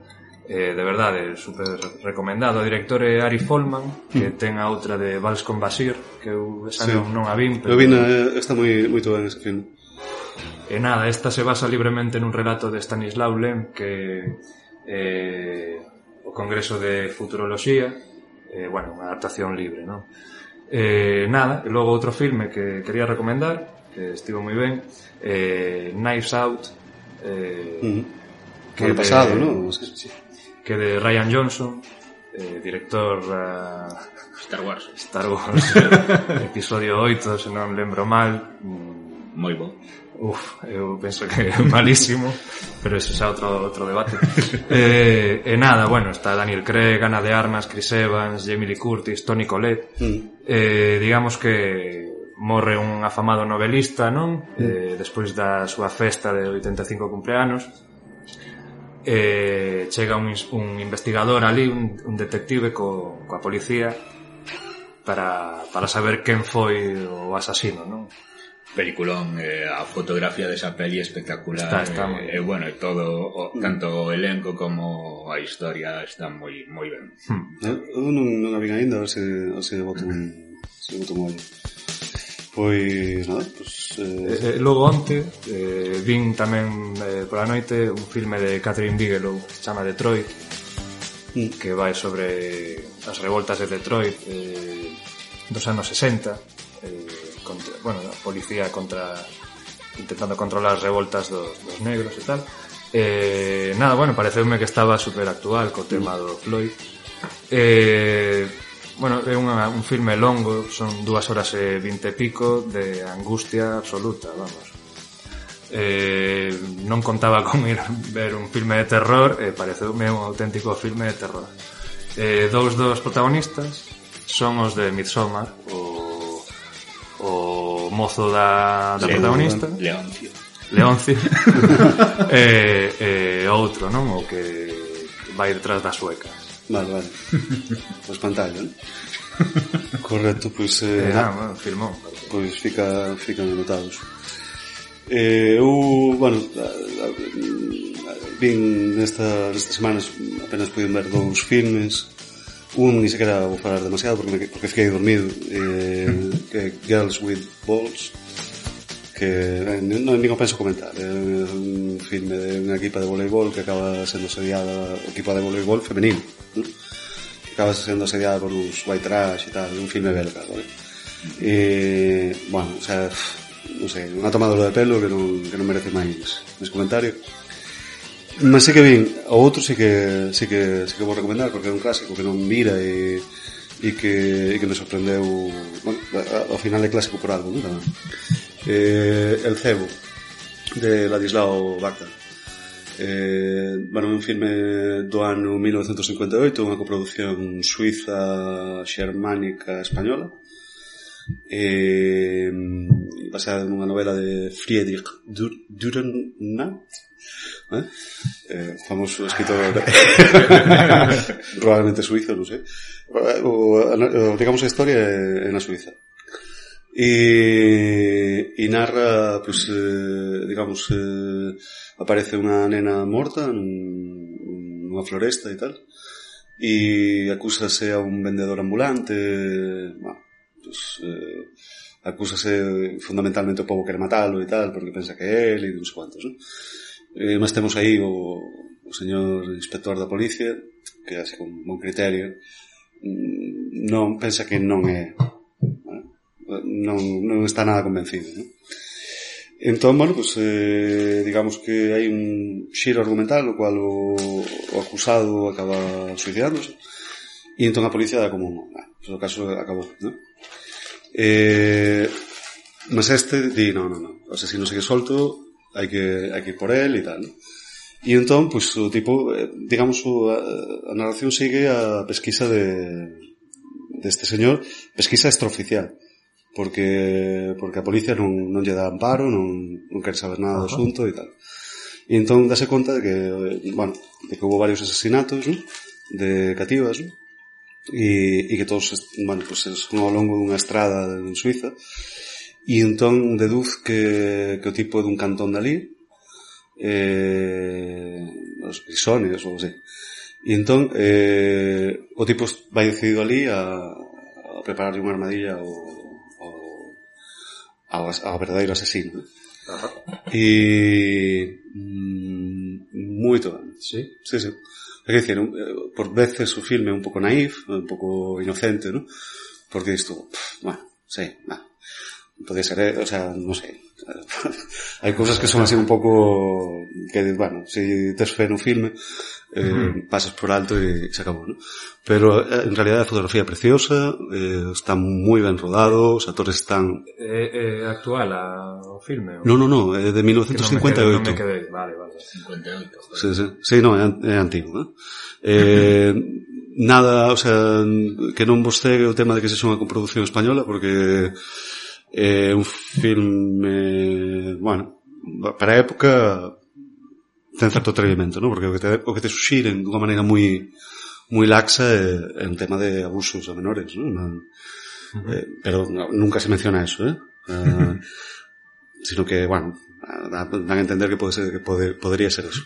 Eh, de verdade, super recomendado. O director é Ari Folman, que mm. ten a outra de Vals con Basir, que eu esa sí. non, non a vin, pero eu vin, está moi moito ben ese filme. E nada, esta se basa libremente nun relato de Stanislaw Lem, que eh, o Congreso de Futuroloxía, eh, bueno, unha adaptación libre, non? Eh, nada, e logo outro filme que quería recomendar, que estivo moi ben, eh, Knives Out, eh, mm. que ano pasado, non? Sí, sí. Que de Ryan Johnson, eh, director uh, Star Wars Star Wars episodio oito, se non lembro mal, moi bo. Uf, eu penso que é malísimo, pero ese é outro, outro debate. eh, e nada, bueno, está Daniel Craig, Ana de Armas, Chris Evans, Jamie Lee Curtis, Toni Collette. mm. eh, digamos que morre un afamado novelista, non? Mm. Eh, despois da súa festa de oitenta e cinco cumpleanos, eh, chega un, un investigador ali, un, un detective co, coa policía para, para saber quen foi o asasino, non? Peliculón, eh, a fotografía desa peli espectacular, está, está e eh, eh, bueno, e todo, o, tanto o elenco como a historia está moi moi ben. Hmm. Eu non, non a vin ainda, a ver se, a ver se boto un, se boto un ollo. Pois, nada, pois... Eh... Eh, logo onte, eh, vin tamén eh, pola noite un filme de Catherine Bigelow que se chama Detroit, mm. que vai sobre as revoltas de Detroit eh, dos anos sesenta, eh, contra, bueno, a policía contra intentando controlar as revoltas dos, dos negros e tal. Eh, nada, bueno, pareceume que estaba super actual co tema do Floyd. Eh... Bueno, é unha, un filme longo, son dúas horas e vinte e pico de angustia absoluta, vamos. Eh, non contaba con ir ver un filme de terror, e pareceume un auténtico filme de terror. Eh, dous dos protagonistas son os de Midsommar, o, o mozo da, da protagonista, Leoncio. Leoncio. e, e outro, non? O que vai detrás das suecas. Vale, vale. O espantallo, non? Correcto, pois... Eh, eh, ah, bueno, filmón. Pois fica, fican anotados. Eh, eu, bueno, vin nesta, nestas semanas apenas puiden ver dous filmes. Un ni sequera vou falar demasiado porque, me, porque fiquei dormido, eh, que Girls with Balls, que eh, non, non penso comentar. É un filme de unha equipa de voleibol que acaba sendo asediada, equipa de voleibol femenino, ¿no? Que acaba sendo asediada por uns white trash e tal, un filme belga, ¿vale? E, bueno, o sea, non sei, unha tomadura de pelo que non, que non merece máis máis comentario. Mas sí que vin, o outro sí que sí que sí que vou recomendar porque é un clásico que non mira e e que e que me sorprendeu, bueno, ao final é clásico por algo, non? Eh, El cebo de Ladislao Baca. Eh, bueno, un filme do ano mil novecentos cincuenta e oito, unha coproducción suiza xermánica española. Eh, basada nunha novela de Friedrich Dürrenmatt, ¿eh? Eh, famoso escritor probablemente suizo, non sei, o, o, digamos a historia é na Suiza e, e narra, pues, eh, digamos, eh, aparece unha nena morta nun, nunha floresta e tal, e acúsase a un vendedor ambulante, bueno, pues, eh, acúsase fundamentalmente o povo quere matalo e tal, porque pensa que é ele e non sei cuantos, non? Eh, mas temos aí o, o señor inspector da policía que así con bon criterio non pensa que non é, non, non está nada convencido, non? Entón, bueno, pues, eh, digamos que hai un xiro argumental no cual o, o acusado acaba suicidándose e entón a policía dá como ah, pues o caso acabou, non? Eh, mas este di, non, non, non, o sea, se non segue solto hai que, hai que ir por él e tal, ¿no? E entón, pues, o tipo, digamos, a, a narración sigue a pesquisa de deste señor, pesquisa extraoficial, porque porque a policía non, non lle dá amparo, non, non quere saber nada do asunto e tal. E entón dase conta de que, bueno, de que hubo varios asesinatos, ¿no? De cativas, ¿no? E, e que todos, bueno, pues, son ao longo dunha estrada en Suiza. E entón deduz que, que o tipo é dun cantón dali, eh, os Grisones ou así. E entón eh, o tipo vai decidido ali a, a prepararlle unha armadilla ao, ao, ao verdadeiro asesino. Ajá. E mm, moito ben. Sí? Sí, sí. É dicir, por veces o filme é un pouco naif, un pouco inocente, ¿no? Porque isto, pff, bueno, sí, va. Podría ser, o sea, non sei. Hai cousas que son así un pouco que, bueno, se tes fe no filme eh, uh-huh. pasas por alto e se acabou, ¿no? Pero en realidad a fotografía é preciosa, eh, está moi ben rodado, os actores están... É, é actual a, o filme? O... No, no, no, é de mil novecentos cincuenta e oito. Non me quedei, vale, vale. cincuenta e oito. Sí, sí, sí, no, é, é antigo, ¿eh? Eh, nada, o sea, que non vos cegue o tema de que se son unha coproducción española, porque... É un filme, bueno, para a época ten certo atrevimento, ¿no? Porque o que te, o que te suxiren dunha maneira moi moi laxa é, é un tema de abusos a menores, ¿no? No, uh-huh. eh, pero no, nunca se menciona eso, ¿eh? Uh, sino que, bueno, dan a entender que pode ser, que pode, podría ser eso.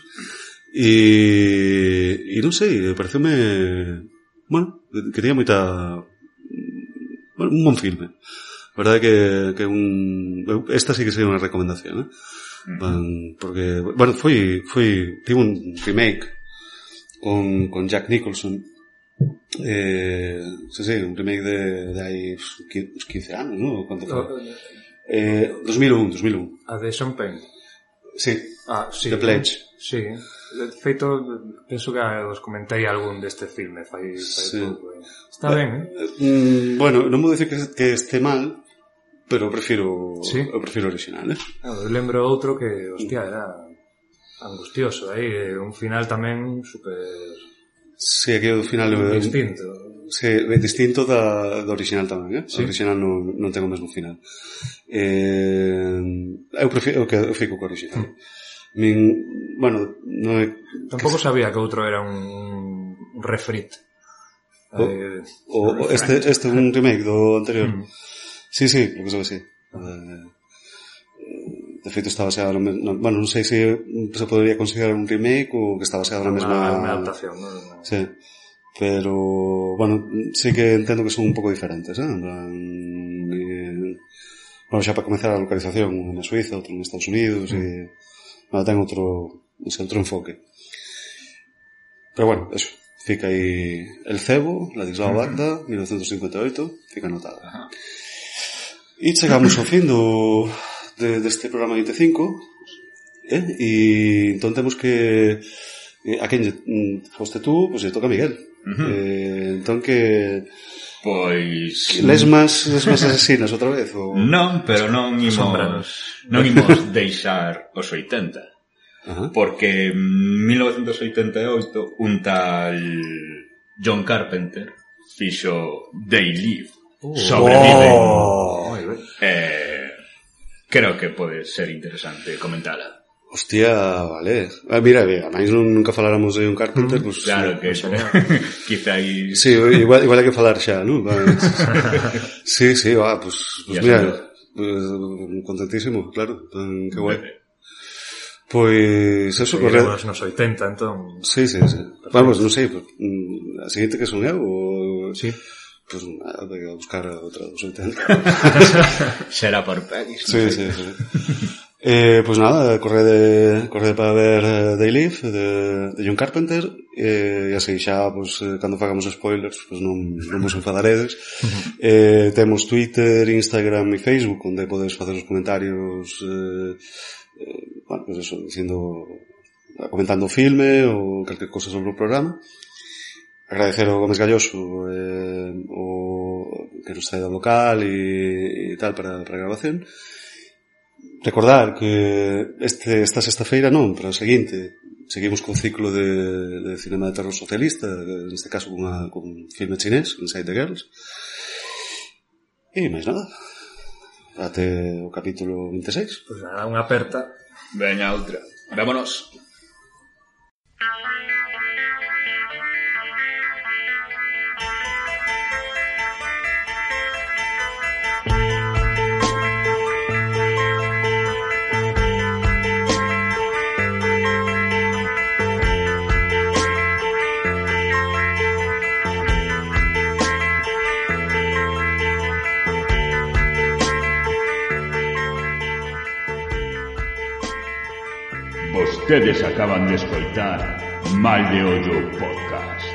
E, e non sei, pareceume, bueno, que tenía moita, bueno, un bon filme. A verdade que, que un, esta sí que sería unha recomendación, ¿eh? Uh-huh. Porque, bueno, foi, foi, tivo un remake con, con Jack Nicholson, eh, sí, sí, un remake de, de hai uns quince anos, ¿no? ¿Cuánto foi? Eh, dos mil un, dos mil un. A de Sean Penn. Sí. Ah, sí. The Pledge. Sí. De feito, penso que os comentei algún deste filme, fai, fai sí. pouco. Está ben, eh? Mm, bueno, non vou dicir que, que este mal, pero eu prefiro, sí. eu prefiro original, eh? Eu lembro outro que, hostia, era angustioso, aí, un final tamén super... Sí, aquí o final é distinto. Sí, é distinto da, da original tamén, eh? Sí. O original non, non ten o mesmo final. Eh, eu prefiro, eu, eu fico co original. Mm. Min, bueno, non é... Tampouco sabía que outro era un refrit. O, eh, o, este, este é un remake do anterior. Mm. Sí, sí, creo que sabe, sí. Eh, de feito está baseado no, no, bueno, non sei se se podría considerar un remake ou que está baseado na mesma... Unha adaptación, non? Sí. Pero, bueno, sí que entendo que son un pouco diferentes, eh? Eh, bueno, xa para comenzar a localización na Suiza, outro en Estados Unidos, mm. e bueno, ten outro, ese outro enfoque. Pero bueno, eso, fica aí El Cebo, Ladislao Banda, mil novecientos cincuenta e oito, fica anotado. Ajá. E chegamos ao fin do de, deste programa vinte e cinco, eh? E entón temos que a quen foste tú, pois pues, toca a Miguel. Uh-huh. Eh, entón que pois lesmas, lesmas asesinas outra vez ou... Non, pero non imos non imos deixar os oitenta. Uh-huh. Porque en mil novecientos oitenta e oito un tal John Carpenter fixo They Live, uh, Sobreviven. Oh. Eh, creo que pode ser interesante comentala. Hostia, vale. Ah, mira, a máis nunca faláramos de un Carpenter, mm, pues, claro que eso. Quizá aí... Sí, igual, igual hai que falar xa, ¿no? Sí, sí, va, pues, pues mira, pues, contentísimo, claro. Que guai. Pois, eso, corre... Nos oitenta, entón... Sí, sí, sí. Vamos, non sei, pues, a seguinte que son eu, ou... Sí. Pues, nada, hay que buscar outra dos oitenta. Será por pelis. Sí, sí, sí. Eh, pues nada, correde, correde para ver uh, They Live de, de John Carpenter eh, e así xa, pues, eh, cando fagamos spoilers pues non, non vos enfadaredes. Uh-huh. eh, temos Twitter, Instagram e Facebook onde podes facer os comentarios eh, eh, bueno, pues eso, dicindo comentando o filme ou calquer cosa sobre o programa. Agradecer ao Gómez Galloso eh, o que nos trae do local e, e tal para, para a grabación. Recordar que este, esta sexta-feira non, pero a seguinte seguimos con ciclo de, de cinema de terror socialista, neste caso con, una, con un filme chinés, Inside the Girls. E máis nada, até o capítulo vinte e seis. Pois nada, unha aperta. Veña outra, vámonos. Vostedes acaban de escoitar Mal de Ollo Podcast.